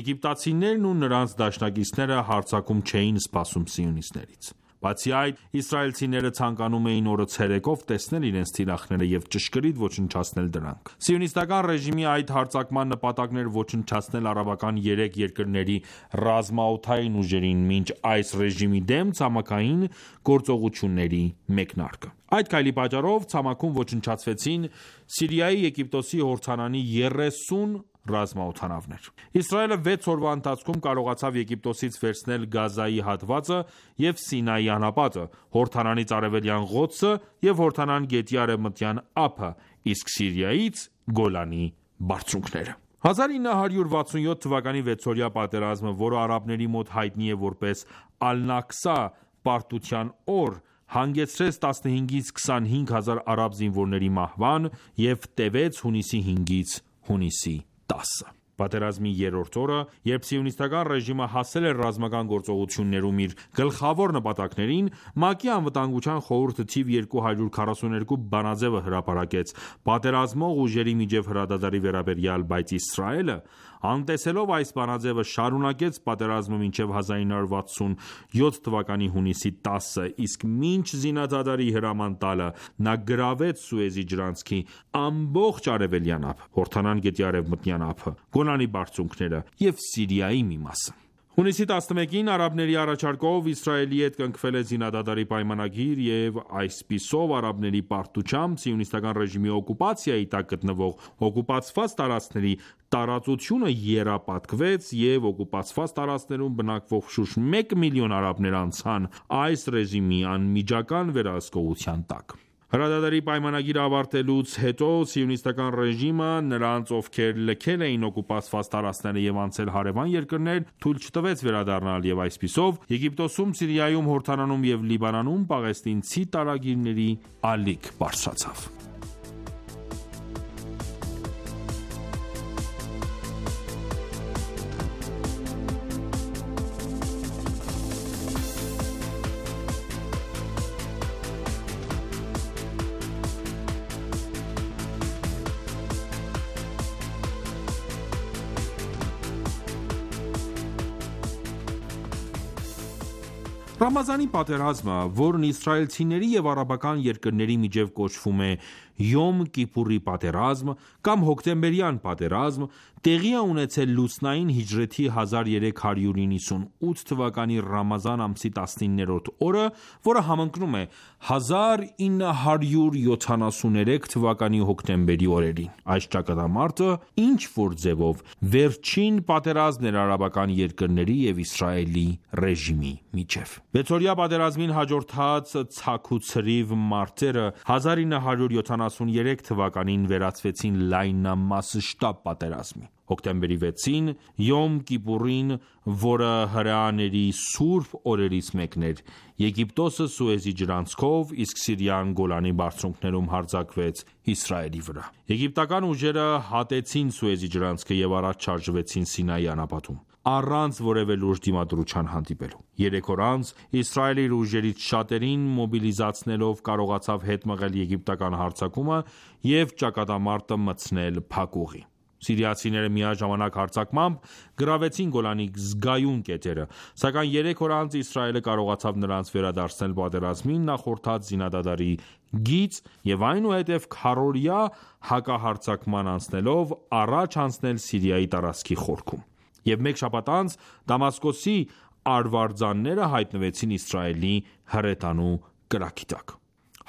եգիպտացիներն ու նրանց դաշնակիցները հարձակում չէին սպասում սիոնիստներից։ Բացի այդ, իսրայելցիները ցանկանում էին օրը ցերեկով տեսնել իրենց թիրախները և ճշգրիտ ոչնչացնել դրանք։ Սիոնիստական ռեժիմի այդ հարձակման նպատակն էր ոչնչացնել արաբական երեք երկրների ռազմաօդային ուժերին, մինչ այս ռեժիմի դեմ ցամաքային գործողությունների մեկնարկը։ Այդ քայլի պատճառով ցամաքում ոչնչացվեցին Սիրիայի, Եգիպտոսի, Հորդանանի երեսուն ռազմաօդանավեր։ Իսրայելը վեց օրվա ընթացքում կարողացավ Եգիպտոսից վերցնել Գազայի հատվածը և Սինայի անապատը, Հորդանանից արևելյան Ղոդսը և Հորդանան գետի արևմտյան ափը, իսկ Սիրիայից Գոլանի բարձունքները։ հազար ինը հարյուր վաթսունյոթ թվականի վեցօրյա պատերազմը, որը արաբների մոտ հայտնի է որպես Ալ-Նաքսա պարտության օր, հանգեցրեց տասնհինգից քսանհինգ հազար արաբ զինվորների մահվան և տևեց հունիսի հինգից հունիսի տասը։ Պատերազմի երրորդ օրը, երբ սիոնիստական ռեժիմը հասել էր ռազմական գործողություններում իր գլխավոր նպատակներին, ՄԱԿ-ի անվտանգության խորհուրդը թիվ երկու հարյուր քառասուներկու բանաձևը հրապարակեց պատերազմող ուժերի միջև հրադադարի վերաբերյալ, բայց Իսրայելը, անտեսելով այս բանաձևը, շարունակեց պատերազմը մինչև հազար ինը հարյուր վաթսունյոթ թվականի հունիսի տասը, իսկ մինչ զինադադարի հրաման տալը, նա գրավեց Սուեզի ջրանցքի ամբողջ արևելյան ափը, Հորդանան գետի արևմտյան ափը, Գոլանի բարձունքները և Սիրիայի մի մասը։ Հունիսի տասնմեկին արաբների առաջարկով Իսրայելի հետ կնքվել է զինադադարի պայմանագիր և այսպիսով արաբների պարտությամբ սիոնիստական ռեժիմի օկուպացիայի տակ գտնվող օկուպացված տարածքների տարածությունը եռապատկվեց և օկուպացված տարածքներում բնակվող շուրջ մեկ միլիոն արաբներ անցան այս ռեժիմի անմիջական վերահսկողության տակ։ Հրադադարի պայմանագիրը ավարտելուց հետո սիոնիստական ռեժիմը նրանց, ովքեր լքել էին օկուպացված տարածքները և անցել հարևան երկրներ, թույլ չտվեց վերադառնալ և այսպիսով Եգիպտոսում, Սիրիայում, Հորդանանում և Լիբանանում պաղեստինցի տարագիրների ալիք բարձրացավ։ Ռամազանի պատերազմը, որն իսրայելցիների և արաբական երկրների միջև կոչվում է Յոմ Կիպուրի պատերազմ կամ հոկտեմբերյան պատերազմ, տեղի է ունեցել լուսնային հիջրեթի հազար երեք հարյուր իննսունութ թվականի Ռամազան ամսի տասնիններորդ օրը, որը համընկնում է հազար ինը հարյուր յոթանասուներեք թվականի հոկտեմբերի օրերին։ Այս ճակատամարտը ինչ-որ ձևով վերջին պատերազմն էր արաբական երկրների և Իսրայելի ռեժիմի միջև։ Վեցօրյա պատերազմին հաջորդած ցաքուցրիվ մարտերը հազար ինը հարյուր յոթանասուներեք թվականին վերածվեցին լայնամասշտաբ պատերազմի։ Հոկտեմբերի վեցին, Յոմ Կիպուրին, որը հրեաների սուրբ օրերից մեկն էր, Եգիպտոսը Սուեզի ջրանցքով, իսկ Սիրիան Գոլանի բարձունքներում հարձակվեց Իսրայելի վրա։ Եգիպտական ուժերը հատեցին Սուեզի ջրանցքը և առաջ շարժվեցին Սինայի անապատում, առանց որևէ լուրջ դիմադրության հանդիպելու։ Երեք օր անց Իսրայելը իր ուժերից շատերին մոբիլիզացնելով կարողացավ հետ մղել եգիպտական հարձակումը և ճակատամարտը մտցնել փակուղի։ Սիրիացիները միաժամանակ հարձակմամբ գրավեցին Գոլանի զգայուն կետերը, սակայն երեք օր անց Իսրայելը կարողացավ նրանց վերադարձնել պատերազմին նախորդած զինադադարի գիծ և այնուհետև քառօրյա հակահարձակման անցնելով առաջ անցնել Սիրիայի տարածքի խորքում։ Եվ մեկ շաբաթ անց Դամասկոսի արվարձանները հայտնվեցին Իսրայելի հրետանու կրակի տակ։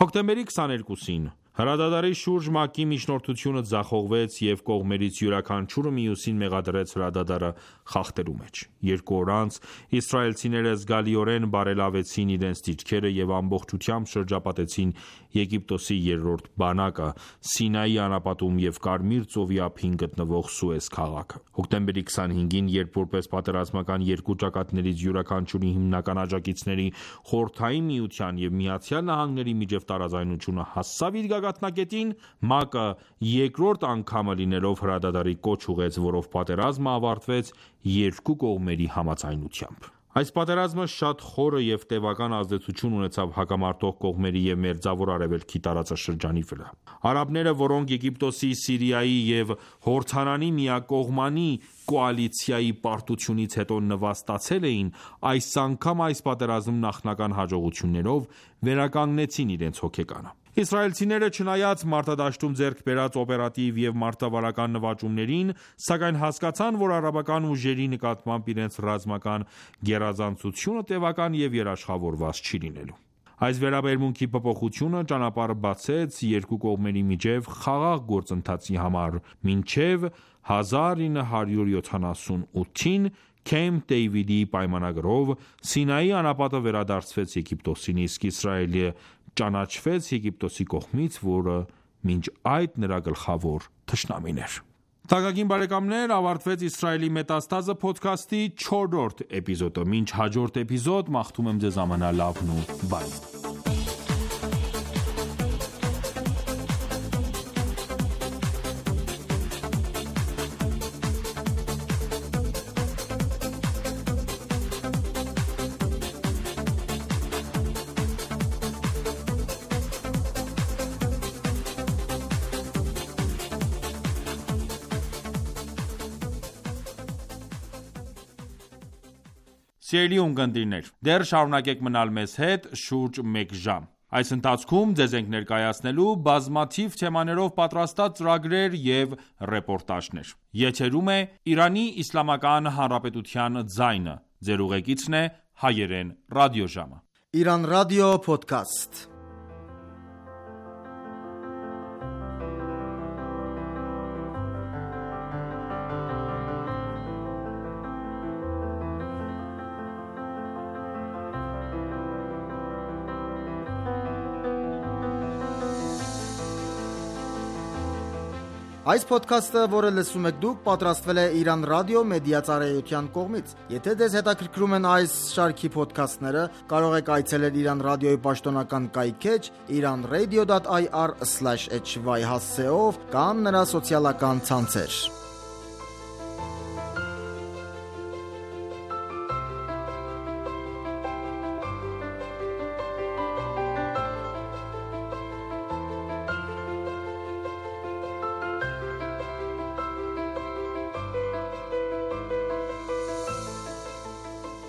Հոկտեմբերի քսաներկուսին հրադադարի շուրջ ՄԱԿ-ի միջնորդությունը ձախողվեց և կողմերից յուրաքանչյուրը մյուսին մեղադրեց հրադադարը խախտելու մեջ։ Երկու օր անց իսրայելցիները զգալիորեն բարելավեցին իրենց դիրքերը և ամբողջությամբ շրջապատեցին Եգիպտոսի երրորդ բանակը Սինայի անապատում և Կարմիր ծովի ափին գտնվող Սուեզ քաղաքը։ Հոկտեմբերի քսանհինգին, երբ որպես պատերազմական երկու ճակատներից յուրաքանչյուրի հիմնական աջակիցների Խորհրդային Միության և Միացյալ Նահանգների միջև տարաձայնությունը հասավ իր գագաթնակետին, ՄԱԿ-ը երկրորդ անգամը լինելով հրադադարի կոչ ուղղեց, որով պատերազմը ավարտվեց երկու կողմերի համաձայնությամբ։ Այս պատերազմը շատ խորը և տևական ազդեցություն ունեցավ հակամարտող կողմերի և Մերձավոր Արևելքի տարածաշրջանի վրա։ Արաբները, որոնք Եգիպտոսի, Սիրիայի և Հորդանանի միակողմանի կոալիցիայի պարտությունից հետո նվաստացել էին, այս անգամ այս պատերազմում նախնական հաջողություններով վերականգնեցին իրենց հոգեկանը։ Իսրայելցիները, չնայած մարտադաշտում ձեռք բերած օպերատիվ և մարտավարական նվաճումներին, սակայն հասկացան, որ արաբական ուժերի նկատմամբ իրենց ռազմական գերազանցությունը տևական և երաշխավորված չի լինելու։ Այս վերաբերմունքի փոփոխությունը ճանապարհ բացեց երկու կողմերի միջև խաղաղ գործընթացի համար, մինչև հազար ինը հարյուր յոթանասունութին Քեմփ Դեյվիդի պայմանագրով Սինայի անապատը վերադարձվեց Եգիպտոսին, իսկ Իսրայելը ճանաչվեց Եգիպտոսի կողմից, որը մինչ այդ նրա գլխավոր թշնամին էր։ Թանկագին բարեկամներ, ավարտվեց Իսրայելի մետաստազը փոդքասթի չորրորդ էպիզոդը։ Մինչ հաջորդ էպիզոդ, մաղթում եմ ձեզ ամենալավն ու բարին։ Սիրելի ունկնդիրներ, դեռ շարունակեք մնալ մեզ հետ շուրջ մեկ ժամ։ Այս ընթացքում ձեզ ենք ներկայացնելու բազմաթիվ թեմաներով պատրաստած ծրագրեր և ռեպորտաժներ։ Եթերում է Իրանի Իսլամական Հանրապետության ձայնը։ Ձեր ուղեկիցն է Հայերեն ռադիոժամը։ Իրանական ռադիո փոդքասթ։ Այս փոդքասթը, որը լսում եք դուք, պատրաստվել է Իրանական ռադիո մեդիա ծառայության կողմից։ Եթե ձեզ հետաքրքրում են այս շարքի փոդքասթները, կարող եք այցելել Իրանական ռադիոյի պաշտոնական կայքէջ իրանradio.ir slash h y հասցեով կամ նրա սոցիալական ցանցեր։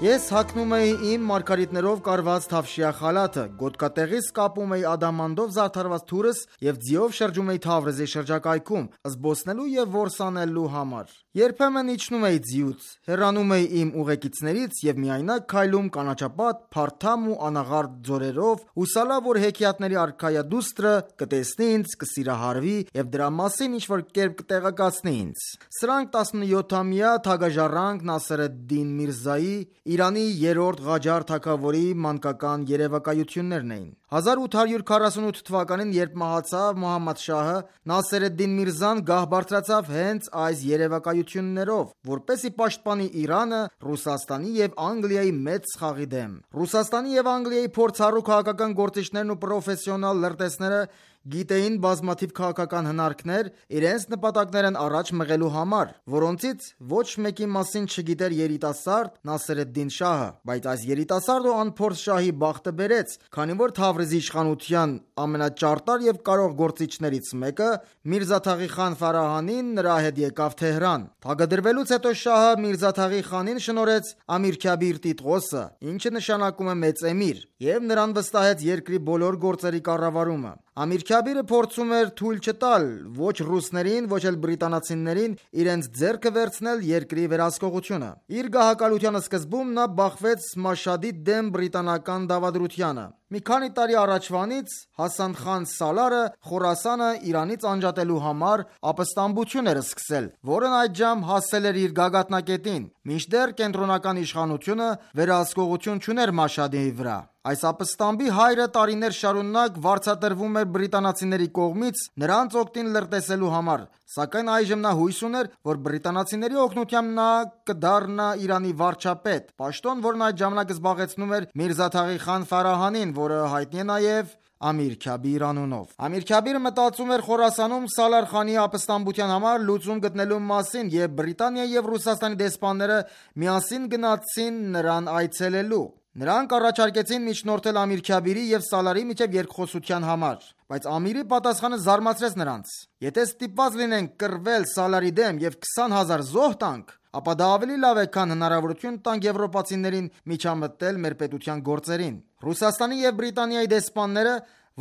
Ես հագնում էի իմ մարգարիտներով կարված թավշյա խալաթը, գոտկատեղիս կապում էի ադամանդով զարդարված թուրս և ձիով շրջում էի Թավրիզի շրջակայքում, զբոսնելու և որսանելու համար։ Երբեմն իջնում էի ձիուց, հեռանում էի իմ ուղեկիցներից և միայնակ քայլում կանաչապատ, փարթամ ու անաղարտ ձորերով, հուսալա, որ հեքիաթների արքայադուստրը կտեսնի ինձ, կսիրահարվի և դրա մասին ինչ-որ կերպ կտեղեկացնի ինձ։ Սրանք տասնյոթամյա թագաժառանգ Նասեր ալ-Դին Միրզայի, Իրանի երրորդ Ղաջար թագավորի մանկական երևակայություններն էին։ հազար ութ հարյուր քառասունութ թվականին, երբ մահացավ Մոհամմադ շահը, Նասեր ալ-Դին Միրզան գահ բարձրացավ հենց այս երևակայություններով, որպեսզի պաշտպանի Իրանը Ռուսաստանի և Անգլիայի մեծ խաղի դեմ։ Ռուսաստանի և Անգլիայի փորձառու քաղաքական գործիչներն ու պրոֆեսիոնալ լրտեսները գիտեին բազմաթիվ քաղաքական հնարքներ իրենց նպատակներն առաջ մղելու համար, որոնցից ոչ մեկի մասին չգիտեր երիտասարդ Նասեր ալ-Դին շահը, բայց այս երիտասարդ ու անփորձ շահի բախտը բերեց, քանի որ Թավրիզի իշխանության ամենաճարտար և կարող գործիչներից մեկը Միրզա Թաղի խան Ֆարահանին նրա հետ եկավ Թեհրան։ Թագադրվելուց հետո շահը Միրզա Թաղի խանին շնորհեց Ամիր Քաբիր Տիտղոսը, ինչը նշանակում է մեծ էմիր, և նրան վստահեց երկրի բոլոր գործերի կառավարումը։ Ամիր Քաբիրը փորձում էր թույլ չտալ ոչ ռուսներին, ոչ էլ բրիտանացիներին իրենց ձեռքը վերցնել երկրի վերահսկողությունը։ Իր գահակալության սկզբում նա բախվեց Մաշհադի դեմ բրիտանական դավադրությանը։ Մի քանի տարի առաջվանից Հասան խան Սալարը Խորասանը Իրանից անջատելու համար ապստամբություն էր սկսել, որն այդժամ հասել էր իր գագաթնակետին, մինչդեռ կենտրոնական իշխանությունը վերահսկողություն չուներ Մաշհադի վրա։ Այս ապստամբի հայրը տարիներ շարունակ վարձատրվում էր բրիտանացիների կողմից նրանց օգտին լրտեսելու համար, Սակայն այժմ նա հույս ուներ, որ բրիտանացիների օգնությամբ նա կդառնա Իրանի վարչապետ, պաշտոն, որն այդ ժամանակ զբաղեցնում էր Միրզա Թաղի խան Ֆարահանին, որը հայտնի է նաև Ամիր Քաբիր անունով։ Ամիր Քաբիրը մտածում էր Խորասանում Սալար խանի ապստամբության համար լուծում գտնելու մասին, եւ Բրիտանիայի եւ Ռուսաստանի դեսպանները միասին գնացին նրան այցելելու։ Նրանք առաջարկեցին միջնորդել Ամիր Քաբիրի եւ Սալարի միջև երկխոսության համար, բայց Ամիրի պատասխանը զարմացրեց նրանց։ Եթե ստիպված լինենք կռվել Սալարի դեմ եւ քսան հազար զոհ տանք, ապա դա ավելի լավ է, քան հնարավորություն տանք եվրոպացիներին միջամտել մեր պետության գործերին։ Ռուսաստանի եւ Բրիտանիայի դեսպանները,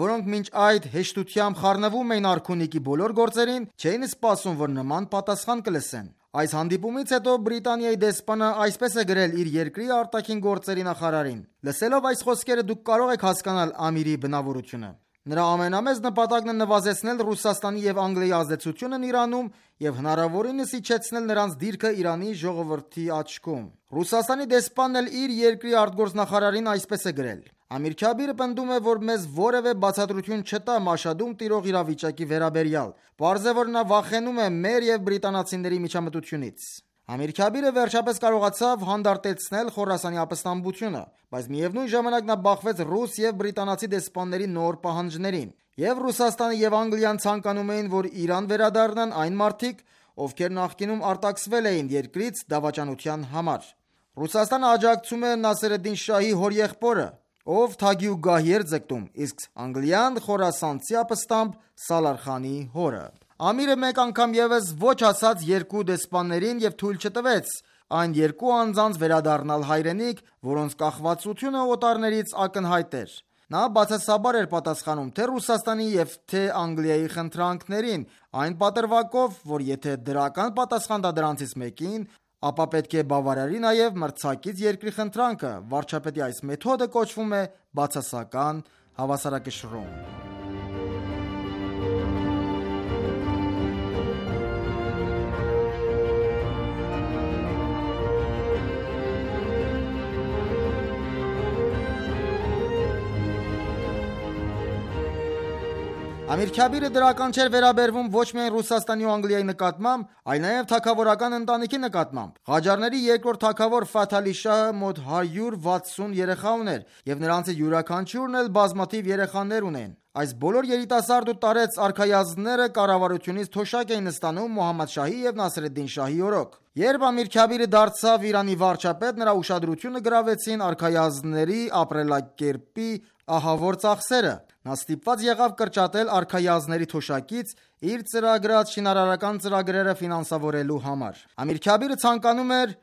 որոնք մինչ այդ հեշտությամբ խառնվում էին արքունիքի բոլոր գործերին, չէին սպասում, որ նման պատասխան կլսեն։ Այս հանդիպումից հետո Բրիտանիայի դեսպանը այսպես է գրել իր երկրի արտաքին գործերի նախարարին. «Լսելով այս խոսքերը դուք կարող եք հասկանալ Ամիրի բնավորությունը։ Նրա ամենամեծ նպատակն է նվազեցնել Ռուսաստանի եւ Անգլիայի ազդեցությունն Իրանում եւ հնարավորինս իջեցնել նրանց դիրքը Իրանի ժողովրդի աչքում»։ Ռուսաստանի դեսպանն էլ իր երկրի արտգործնախարարին այսպես է գրել. «Ամիր Քաբիրը պնդում է, որ մեզ որևէ բացատրություն չտա Մաշհադում տիրող իրավիճակի վերաբերյալ։ Պարզ է, որ նա վախենում է մեր եւ բրիտանացիների միջամտությունից»։ Ամիր Քաբիրը վերջապես կարողացավ հանդարտեցնել Խորասանի ապստամբությունը, բայց միևնույն ժամանակ նա բախվեց ռուս եւ բրիտանացի դեսպանների նոր պահանջներին։ Եվ Ռուսաստանը եւ Անգլիան ցանկանում էին, որ Իրան վերադառնան այն մարդիկ, ովքեր նախկինում արտաքսվել էին երկրից դավաճանության համար։ Ռուսաստանը աջակցում է Նասերեդդին Շահի հորեղբորը, ով թագի ու գահի էր ձգտում, իսկ Անգլիան խորասանցի ապստամբ Սալար խանի հորը։ Ամիրը մեկ անգամ եւս ոչ ասաց երկու դեսպաններին եւ թույլ չտվեց այն երկու անձանց վերադառնալ հայրենիք, որոնց կախվածությունը օտարներից ակնհայտ էր։ Նա բացասաբար էր պատասխանում թե Ռուսաստանի եւ թե Անգլիայի խնդրանքներին, այն պատրվակով, որ եթե դրական պատասխան տա դրանցից մեկին, ապա պետք է բավարարի նաև մրցակից երկրի խնդրանքը։ Վարչապետի այս մեթոդը կոչվում է բացասական հավասարակշռում։ Ամիր Քաբիրը դրական չէր վերաբերվում ոչ միայն Ռուսաստանի ու Անգլիայի նկատմամբ, այլ նաև թագավորական ընտանիքի նկատմամբ։ Ղաջարների երկրորդ թագավոր Ֆաթ Ալի Շահը մոտ հարյուր վաթսուն երեխա ուներ, եւ նրանցից յուրաքանչյուրն էլ բազմաթիվ երեխաներ ունեն։ Այս բոլոր երիտասարդ ու տարեց արքայազնները կառավարությունից թոշակ էին ստանում Մոհամմադ Շահի եւ Նասերեդդին Շահի օրոք։ Երբ Ամիր Քաբիրը դարձավ Իրանի վարչապետ, նրա ուշադրությունը գրավեցին արքայազնների ապրելակերպի ահավոր ծախսերը։ Նա ստիպված եղավ կրճատել արքայազնների թոշակից իր ծրագրած շինարարական ծրագրերը ֆինանսավորելու համար։ Ամիր Քաբիրը ցանկանում էր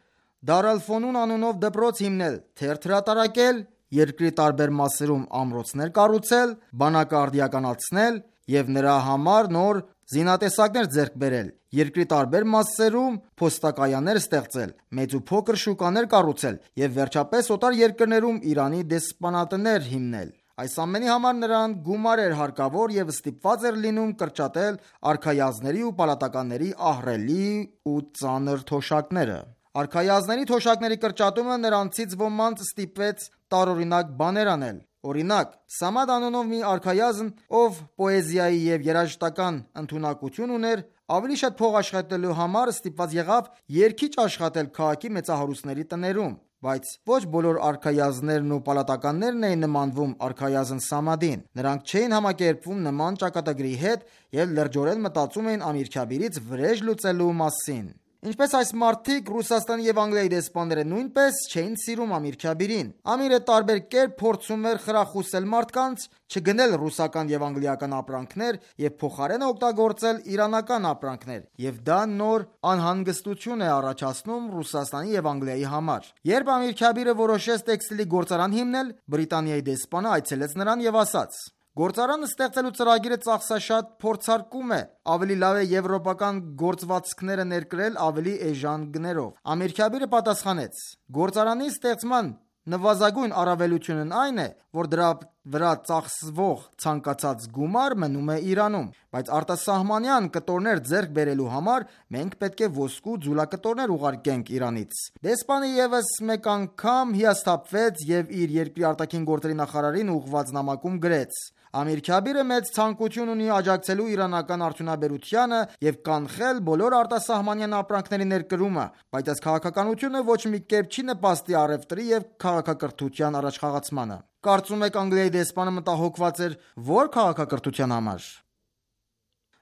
Դար ալ-Ֆոնուն անունով դպրոց հիմնել, թերթ հրատարակել, երկրի տարբեր մասերում ամրոցներ կառուցել, բանակը արդիականացնել եւ նրա համար նոր զինատեսակներ ձեռք բերել, երկրի տարբեր մասերում փոստակայաններ ստեղծել, մեծ ու փոքր շուկաներ կառուցել եւ վերջապես օտար երկրներում Իրանի դեսպանատներ հիմնել։ Այս ամենի համար նրան գումար էր հարկավոր եւ ստիպված էր լինում կրճատել արքայազների ու պալատականների ահռելի ու ծանր թոշակները։ Արքայազների թոշակների կրճատումը նրանցից ոմանց ստիպեց տարօրինակ բաներ անել։ Օրինակ, Սամադ անունով մի արքայազն, ով պոեզիայի եւ երաժշտական ընդունակություն ուներ, ավելի շատ փող աշխատելու համար ստիպված եղավ երգիչ աշխատել քաղաքի մեծահարուստների տներում, բայց ոչ բոլոր արքայազներն ու պալատականներն էին նմանվում արքայազն Սամադին։ Նրանք չէին համակերպվում նման ճակատագրի հետ եւ լրջորեն մտածում էին Ամիր Քաբիրից վրեժ լուծելու մասին։ Ինչպես այս մարդիկ, Ռուսաստանի եւ Անգլիայի դեսպանները նույնպես չէին սիրում Ամիր Քաբիրին։ Ամիրը տարբեր կերպ փորձում էր խրախուսել մարդկանց չգնել ռուսական եւ անգլիական ապրանքներ եւ փոխարենը օգտագործել իրանական ապրանքներ, եւ դա նոր անհանգստություն է առաջացնում Ռուսաստանի եւ Անգլիայի համար։ Երբ Ամիր Քաբիրը որոշեց տեքստիլի գործարան հիմնել, Բրիտանիայի դեսպանը այցելեց նրան եւ ասաց. «Գործարանը ստեղծելու ծրագիրը ծախսաշատ փորձարկում է, ավելի լավ է եվրոպական գործվածքները ներկրել ավելի էժան գներով»։ Ամիր Քաբիրը պատասխանեց. «Գործարանի ստեղծման նվազագույն առավելությունն այն է, որ դրա վրա ծախսվող ցանկացած գումար մնում է Իրանում, բայց արտասահմանյան կտորներ ձեռք բերելու համար մենք պետք է ոսկու ձուլակտորներ ուղարկենք Իրանից։ Դեսպանը ևս մեկ անգամ հիասթափվեց եւ իր երկրի արտաքին գործերի նախարարին ուղղված նամակում գրեց. Ամիր-Քաբիրը մեծ ցանկություն ունի աջակցելու իրանական արդյունաբերությանը եւ կանխել բոլոր արտասահմանյան ապրանքների ներկրումը, բայց այս քաղաքականությունը ոչ մի կերպ չի նպաստի առևտրի եւ քաղաքակրթության առաջխաղացմանը։ Կարծում եք Անգլիայի դեսպանը մտահոգված էր ո՞ր քաղաքակրթության համար։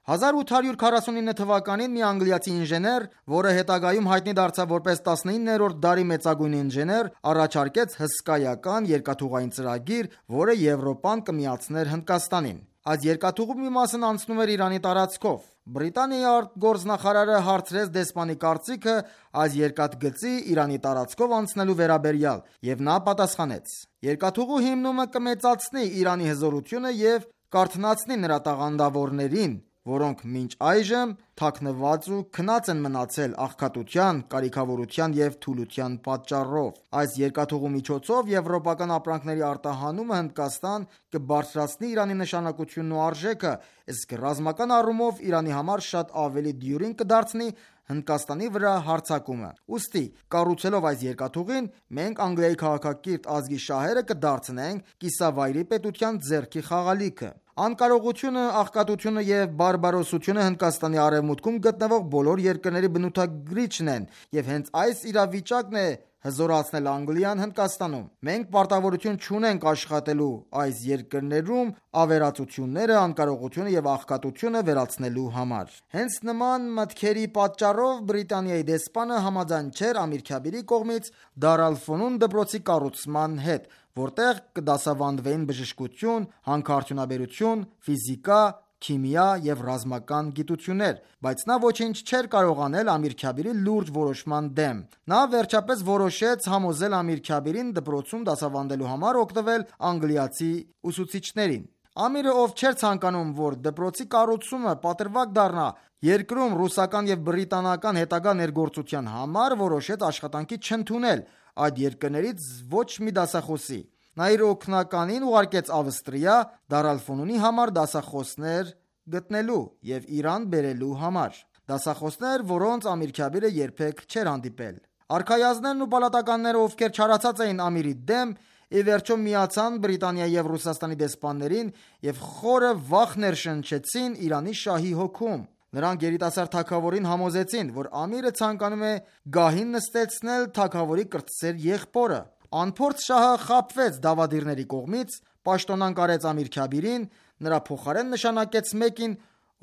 հազար ութ հարյուր քառասունինը թվականին մի անգլիացի ինժեներ, որը հետագայում հայտնի դարձավ որպես տասնիններորդ դարի մեծագույն ինժեներ, առաջարկեց հսկայական երկաթուղային ծրագիր, որը Եվրոպան կմիացներ Հնդկաստանին։ Այս երկաթուղու մի մասն անցնում էր Իրանի տարածքով։ Բրիտանիայի արտգործնախարարը հարցրեց դեսպանի կարծիքը այս երկաթգծի Իրանի տարածքով անցնելու վերաբերյալ, եւ նա պատասխանեց. Երկաթուղու հիմնումը կմեծացնի Իրանի հզորությունը եւ կարթնացնի նրա տաղանդավորներին, որոնք մինչ այժմ թաքնված ու քնած են մնացել աղքատության, կարիքավորության եւ թուլության պատճառով։ Այս երկաթուղու միջոցով եվրոպական ապրանքների արտահանումը Հնդկաստան կբարձրացնի Իրանի նշանակությունն ու արժեքը, իսկ ռազմական առումով Իրանի համար շատ ավելի դյուրին կդարձնի Հնդկաստանի վրա հարձակումը։ Ուստի, կառուցելով այս երկաթուղին, մենք Անգլիայի քաղաքակիրթ ազգի շահերը կդարձնենք կիսավայրի պետության ձեռքի խաղալիքը։ Անկարողությունը, աղքատությունը եւ բարբարոսությունը Հնդկաստանի արևմուտքում գտնվող բոլոր երկրների բնութագրիչն են, եւ հենց այս իրավիճակն է հզորացնել Անգլիան Հնդկաստանում։ Մենք պարտավորություն չունենք աշխատելու այս երկրներում ավերածությունները, անկարողությունը եւ աղքատությունը վերացնելու համար։ Հենց նման մտքերի պատճառով Բրիտանիայի դեսպանը համաձայն չէր Ամիր-Քաբիրի կողմից Դար ալ-Ֆոնուն դպրոցի կառուցման հետ, որտեղ կդասավանդվեին բժշկություն, հանքարդյունաբերություն, ֆիզիկա, քիմիա եւ ռազմական գիտություններ, բայց նա ոչինչ չէր կարող անել Ամիր-Քաբիրի լուրջ որոշման դեմ։ Նա վերջապես որոշեց համոզել Ամիր-Քաբիրին դպրոցում դասավանդելու համար օգտվել անգլիացի ուսուցիչներին։ Ամիրը, ով չէր ցանկանում, որ դպրոցի կառուցումը պատրվակ դառնա երկրում ռուսական եւ բրիտանական հետագա ներգործության համար, որոշեց աշխատանքի չընդունել այդ երկրներից ոչ մի դասախոսի։ Նա իր օգնականին ուղարկեց Ավստրիա Դար ալ-Ֆոնունի համար դասախոսներ գտնելու եւ Իրան բերելու համար։ Դասախոսներ, որոնց Ամիր-Քաբիրը երբեք չէր հանդիպել։ Արքայազններն ու պալատականները, ովքեր չարացած էին Ամիրի դեմ, ի վերջո միացան Բրիտանիայի եւ Ռուսաստանի դեսպաններին եւ խորը վախ ներշնչեցին Իրանի շահի հոգում։ Նրանք երիտասարդ թագավորին համոզեցին, որ Ամիրը ցանկանում է գահին նստեցնել թագավորի կրտսեր եղբորը։ Անփորձ շահը խաբվեց դավադիրների կողմից, պաշտոնանկ արեց Ամիր-Քաբիրին, նրա փոխարեն նշանակեց մեկին,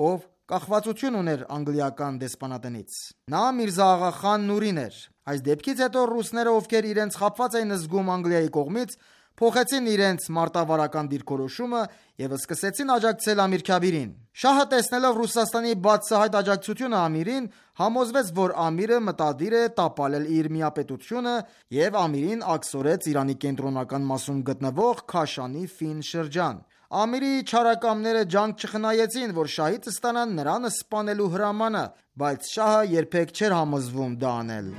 ով կախվածություն ուներ անգլիական դեսպանատնից։ Նա Միրզա Աղա խան Նուրին էր։ Այս դեպքից հետո ռուսները, ովքեր իրենց խաբված էին զգում Անգլիայի կողմից, փոխեցին իրենց մարտավարական դիրքորոշումը եւ սկսեցին աջակցել Ամիր-Քաբիրին։ Շահը, տեսնելով Ռուսաստանի բացահայտ աջակցությունը Ամիրին, համոզվեց, որ Ամիրը մտադիր է տապալել իր միապետությունը եւ Ամիրին աքսորեց Իրանի կենտրոնական մասում գտնվող Քաշանի Ֆին շրջան։ Ամիրի չարակամները ջանք չխնայեցին, որ շահից ստանան նրան սպանելու հրամանը, բայց շահը երբեք չէր համոզվում դա անել։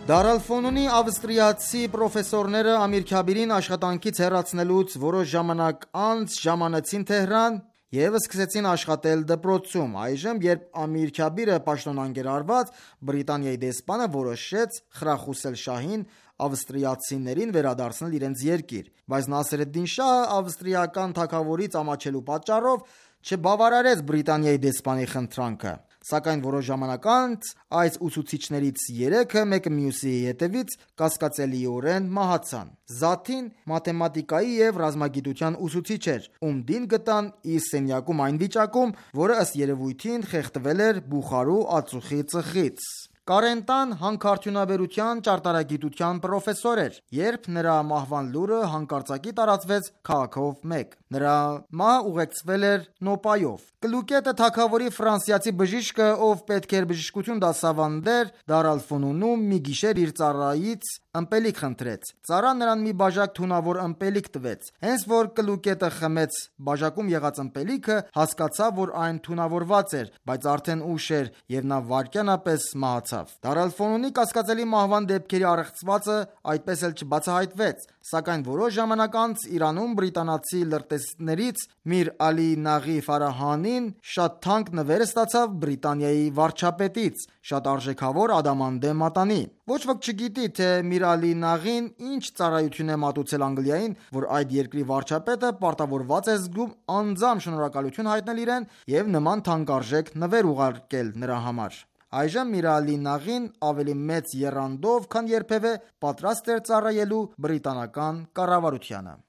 Դար ալ-Ֆոնունի ավստրիացի պրոֆեսորները Ամիր-Քաբիրին աշխատանքից հեռացնելուց որոշ ժամանակ անց ժամանեցին Թեհրան եւ սկսեցին աշխատել դպրոցում։ Այժմ, երբ Ամիր-Քաբիրը պաշտոնանկ էր արված, Բրիտանիայի դեսպանը որոշեց խրախուսել շահին ավստրիացիներին վերադարձնել իրենց երկիր, բայց Նասեր ալ-Դին շահը ավստրիական թագավորից ամաչելու պատճառով չբավարարեց Բրիտանիայի դեսպանի խնդրանքը։ Սակայն որոշ ժամանակ անց այս ուսուցիչներից երեքը մեկը մյուսի հետևից կասկածելիորեն մահացան։ Զաթին մաթեմատիկայի եւ ռազմագիտության ուսուցիչ էր, ում դին գտան իր սենյակում այն վիճակում, որը ըստ երևույթին խեղդվել էր Բուխարու ածուխի ծխից։ Կարենտան հանքարդյունաբերության ճարտարագիտության պրոֆեսոր էր, երբ նրա մահվան լուրը հանկարծակի տարածվեց քաղաքով մեկ։ Նրա մահը ուղեկցվել էր նոպայով։ Կլուկետը թագավորի ֆրանսիացի բժիշկը, ով պետք էր բժշկություն դասավանդեր, Դար ալ-Ֆունունում մի գիշեր իր ծառայից ըմպելիք խնդրեց։ Ծառան նրան մի բաժակ թունավոր ըմպելիք տվեց։ Հենց որ Կլուկետը խմեց բաժակում եղած ըմպելիքը, հասկացավ, որ այն թունավորված էր, բայց արդեն ուշ էր եւ նա վայրկյանապես մահացավ։ Դար ալ-Ֆունունի կասկածելի մահվան դեպքերի առեղծվածը այդպես էլ չբացահայտվեց, սակայն որոշ ժամանակ անց Իրանում բրիտանացի լրտեսներից Միր Ալի Նաղի Ֆարահանին շատ թանկ նվեր ստացավ Բրիտանիայի վարչապետից, շատ արժեքավոր ադամանդե մատանի։ Ոչ ոք չգիտի, թե Միր Ալի Նաղին ինչ ծառայություն է մատուցել Անգլիային, որ այդ երկրի վարչապետը պարտավորված է զգում անձամբ շնորհակալություն հայտնել իրեն եւ նման թանկարժեք նվեր ուղարկել նրա համար։ Այժմ Միր Ալի Նաղին ավելի մեծ եռանդով, քան երբևէ պատրաստ էր ծառայելու բրիտանական կառավարությանը։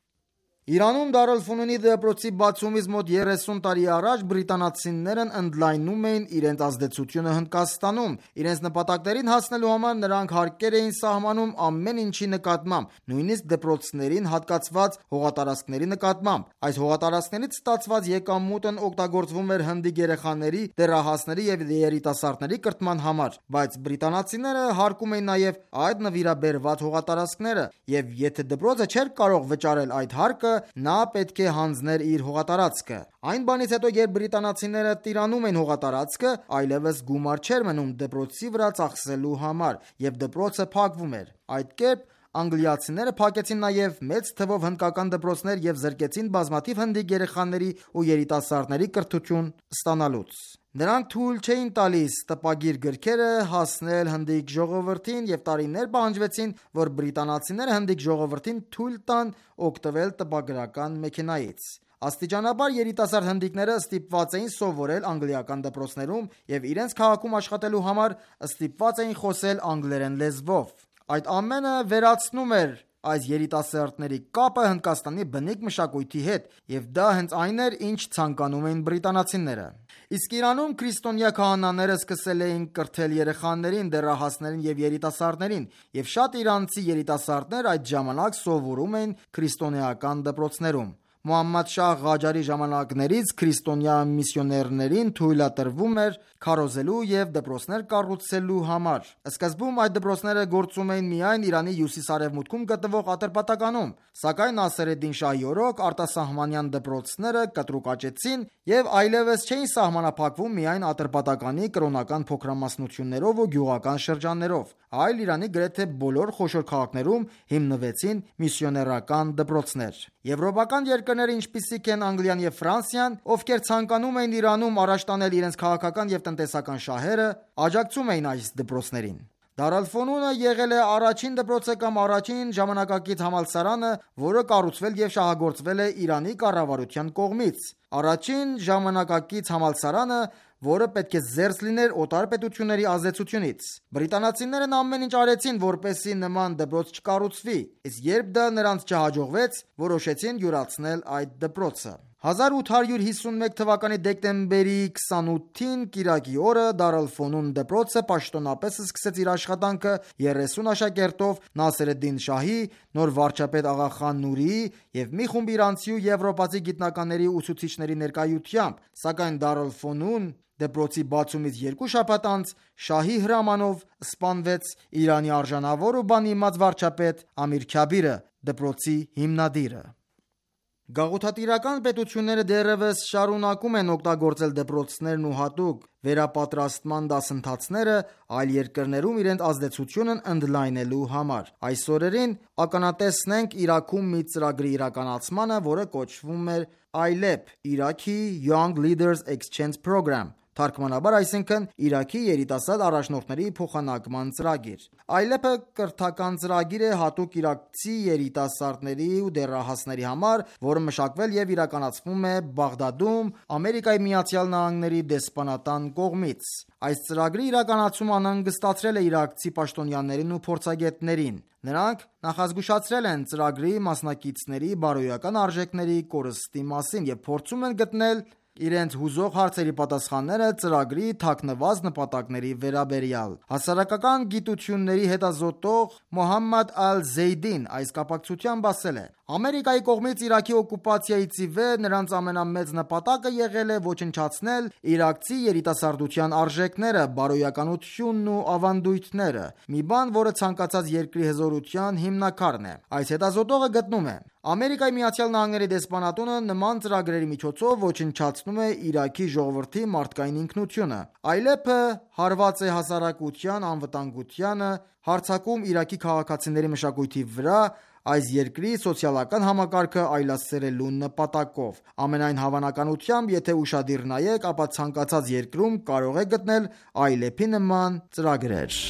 Իրանում Դար ալ-Ֆունունի դպրոցի բացումից մոտ երեսուն տարի առաջ բրիտանացիներն ընդլայնում էին իրենց ազդեցությունը Հնդկաստանում։ Իրենց նպատակներին հասնելու համար նրանք հարկեր էին սահմանում ամեն ինչի նկատմամբ, նույնիսկ դպրոցներին հատկացված հողատարածքների նկատմամբ։ Այս հողատարածքներից ստացված եկամուտն օգտագործվում էր հնդիկ երեխաների, դեռահասների եւ երիտասարդների կրթման համար, բայց բրիտանացիները հարկում էին նաեւ այդ նվիրաբերված հողատարածքները, եւ եթե դպրոցը չէր կարող վճարել այդ հարկը, նա պետք է հանձներ իր հողատարածքը։ Այն բանից հետո, երբ բրիտանացիները տիրանում էին հողատարածքը, այլևս գումար չէր մնում դպրոցի վրա ծախսելու համար, եւ դպրոցը փակվում էր։ Այդ կերպ անգլիացիները փակեցին նաև մեծ թվով հնդկական դպրոցներ եւ զրկեցին բազմաթիվ հնդիկ երեխաների ու երիտասարդների կրթություն ստանալուց։ Նրանք թույլ չէին տալիս տպագիր գրքերը հասնել հնդիկ ժողովրդին եւ տարիներ պահանջվեցին, որ բրիտանացիները հնդիկ ժողովրդին թույլ տան օգտվել տպագրական մեքենայից։ Աստիճանաբար երիտասարդ հնդիկները ստիպված էին սովորել անգլիական դպրոցներում եւ իրենց քաղաքում աշխատելու համար ստիպված էին խոսել անգլերեն լեզվով։ Այդ ամենը վերացնում էր այս երիտասարդների կապը Հնդկաստանի բնիկ մշակույթի հետ, եւ դա հենց այն էր, ինչ ցանկանում էին բրիտանացիները։ Իսկ Իրանում քրիստոնյա քահանաները սկսել էին կրթել երեխաներին, դեռահասներին եւ երիտասարդներին, եւ շատ իրանցի երիտասարդներ այդ ժամանակ սովորում էին քրիստոնեական դպրոցներում։ Մուհամմադ Շահ Ղաջարի ժամանակներից քրիստոնյա միսիոներներին թույլատրվում էր քարոզելու եւ դպրոցներ կառուցելու համար։ Սկզբում այդ դպրոցները գործում էին միայն Իրանի հյուսիս-արևմուտքում գտնվող Ատրպատականում, սակայն Նասերեդդին Շահի օրոք արտասահմանյան դպրոցները կտրուկ աճեցին եւ այլևս չէին սահմանափակվում միայն Ատրպատականի կրոնական փոքրամասնություններով ու գյուղական շրջաններով, այլ Իրանի գրեթե բոլոր խոշոր քաղաքներում հիմնվեցին միսիոներական դպրոցներ։ Եվրոպական երկրներ, ինչպիսիք են Անգլիան եւ Ֆրանսիան, ովքեր ցանկանում էին Իրանում առաջ տանել իրենց քաղաքական եւ տնտեսական շահերը, աջակցում էին այս դպրոցներին։ Դար ալ-Ֆունունը եղել է առաջին դպրոցը կամ առաջին ժամանակակից համալսարանը, որը կառուցվել եւ շահագործվել է Իրանի կառավարության կողմից։ Առաջին ժամանակակից համալսարանը, որը պետք է զերծ լիներ օտար պետությունների ազդեցությունից։ Բրիտանացիներն ամեն ինչ արեցին, որպեսզի նման դպրոց չկառուցվի, իսկ երբ դա նրանց չհաջողվեց, որոշեցին յուրացնել այդ դպրոցը։ հազար ութ հարյուր հիսուն մեկ թվականի դեկտեմբերի քսանութին կիրակի օրը Դար ալ-Ֆունուն դպրոցը պաշտոնապես սկսեց իր աշխատանքը երեսուն աշակերտով Նասերեդդին Շահի, նոր վարչապետ Աղա Խան Նուրիի եւ մի խումբ իրանցի ու եվրոպացի գիտնականների ու ուսուցիչների ներկայությամբ, սակայն Դար ալ-Ֆունուն դպրոցի բացումից երկու շաբաթ անց Շահի հրամանով սպանվեց Իրանի արժանավոր ու բանիմաց վարչապետ Ամիր Քյաբիրը, դպրոցի հիմնադիրը։ Գաղութատիրական պետությունները դեռևս շարունակում են օգտագործել դպրոցներն ու հատուկ վերապատրաստման դասընթացները այլ երկրներում իրենց ազդեցությունն ընդլայնելու համար։ Այս օրերին ականատեսն ենք Իրաքում մի ծրագրի իրականացմանը, որը կոչվում էր I L E P Iraqi Young Leaders Exchange Program, թարգմանաբար այսինքն Իրաքի երիտասարդ առաջնորդների փոխանակման ծրագիր։ I L E P-ը կրթական ծրագիր է հատուկ իրաքցի երիտասարդների ու դեռահասների համար, որը մշակվել եւ իրականացվում է Բաղդադում Ամերիկայի Միացյալ Նահանգների դեսպանատան կողմից։ Այս ծրագրի իրականացումը անհանգստացրել է իրաքցի պաշտոնյաներին ու փորձագետներին։ Նրանք նախազգուշացրել են ծրագրի մասնակիցների բարոյական արժեքների կորստի մասին եւ փորձում են գտնել իրենց հուզող հարցերի պատասխանները ծրագրի թաքնված նպատակների վերաբերյալ։ Հասարակական գիտությունների հետազոտող Մոհամմադ Ալ-Զեյդին այս կապակցությամբ ասել է. Ամերիկայի կողմից Իրաքի օկուպացիայից ի վեր նրանց ամենամեծ նպատակը եղել է ոչնչացնել իրաքցի երիտասարդության արժեքները, բարոյականությունն ու ավանդույթները, մի բան, որը ցանկացած երկրի հզորության հիմնաքարն է։ Այս հետազոտողը գտնում է. Ամերիկայի Միացյալ Նահանգների դեսպանատունը նման ծրագրերի միջոցով ոչնչացնում է Իրաքի ժողովրդի մարդկային ինքնությունը։ Այլեպը հարված է հասարակության անվտանգությանը, հարձակում Իրաքի քաղաքացիների մշակույթի վրա, այս երկրի սոցիալական համակարգը այլասերելու նպատակով։ Ամենայն հավանականությամբ, եթե ուշադիր նայեք, ապա ցանկացած երկրում կարող եք գտնել այլեպի նման ծրագրեր։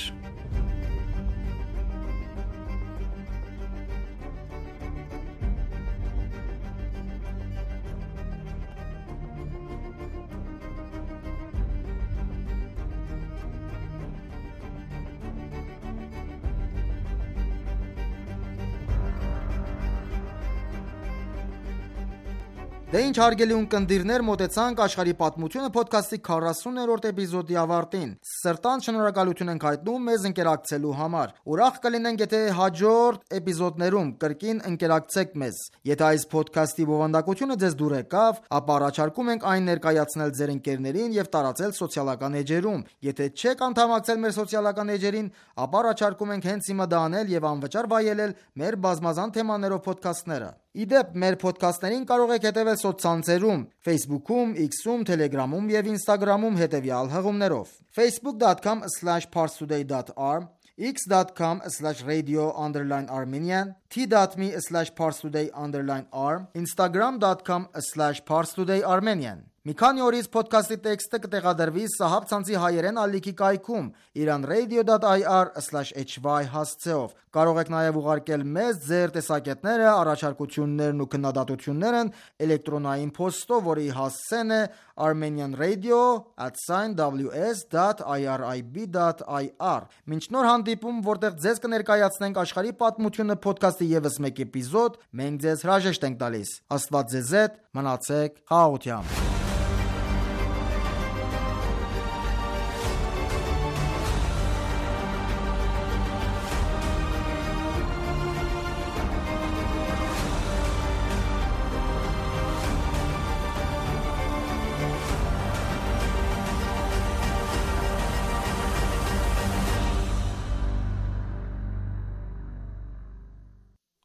Դե ինչ հարգելի ունկնդիրներ, մոտեցանք աշխարհի պատմությունը ոդքասթի քառասուններորդ էպիզոդի ավարտին։ Սրտանց շնորհակալություն ենք հայտնում մեզ ընկերակցելու համար։ Ուրախ կլինենք, եթե հաջորդ էպիզոդներում կրկին ընկերակցեք մեզ։ Եթե այս ոդքասթի բովանդակությունը ձեզ դուր եկավ, ապա առաջարկում ենք այն ներկայացնել ձեր ընկերներին եւ տարածել սոցիալական էջերում։ Եթե չեք անդամակցել մեր սոցիալական էջերին, ապա առաջարկում ենք հենց հիմա դա անել եւ անվճար վայելել մեր բազմազան թեմաներով ոդքասթները։ Իդեպ, մեր ոդքասթներին կարող եք հետևել սոցցանցերում՝ Facebook-ում, X-ում, Telegram-ում եւ Instagram-ում հետևյալ հղումներով. facebook dot com slash parstoday dot r, x dot com slash radio underline armenian, t dot m e slash parstoday underline r, instagram dot com slash parstoday armenian։ Մի քանի օրից ոդքասթի տեքստը կտեղադրվի Սահաբ ցանցի հայերեն ալիքի կայքում iranradio dot i r slash h y հասցեով։ Կարող եք նաև ուղարկել մեզ ձեր տեսակետները, առաջարկություններն ու քննադատություններն էլեկտրոնային փոստով, որի հասցեն է armenianradio at w s dot i r i b dot i r։ Մինչ նոր հանդիպում, որտեղ ձեզ կներկայացնենք աշխարհի պատմությունը ոդքասթի ևս մեկ էպիզոդ, մենք ձեզ հրաժեշտ ենք տալիս։ Աստված ձեզ հետ, մնացեք խաղաղությամբ։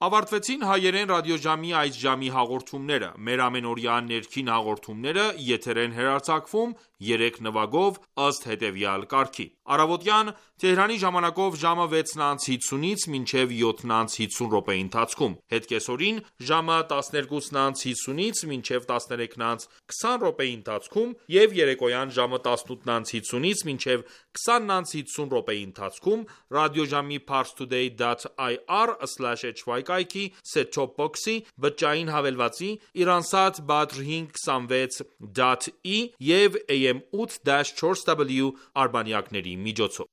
Ավարտվեցին հայերեն ռադիոժամի այս ժամի հաղորդումները։ Մեր ամենօրյա ներքին հաղորդումները եթեր են հեռարձակվում երեք նվագով ըստ հետևյալ կարգի. Առավոտյան Թեհրանի ժամանակով ժամը վեցն անց հիսունից մինչև յոթն անց հիսուն րոպեի ընթացքում, հետկեսօրին ժամը տասներկուսն անց հիսունից մինչև տասներեքն անց քսան րոպեի ընթացքում եւ երեկոյան ժամը տասնութն անց հիսունից մինչև քսանն անց հիսուն րոպեի ընթացքում ռադիոժամի parstoday dot i r slash h y կայքի set-top box-ի բջջային հավելվածի Iransat Badr հինգ քսանվեց dot e եւ a m eight dash four w արբանյակների միջոցով։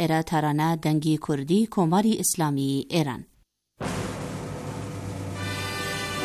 էրա թարանա դնգի քուրդի կոմարի իսլամի էրան։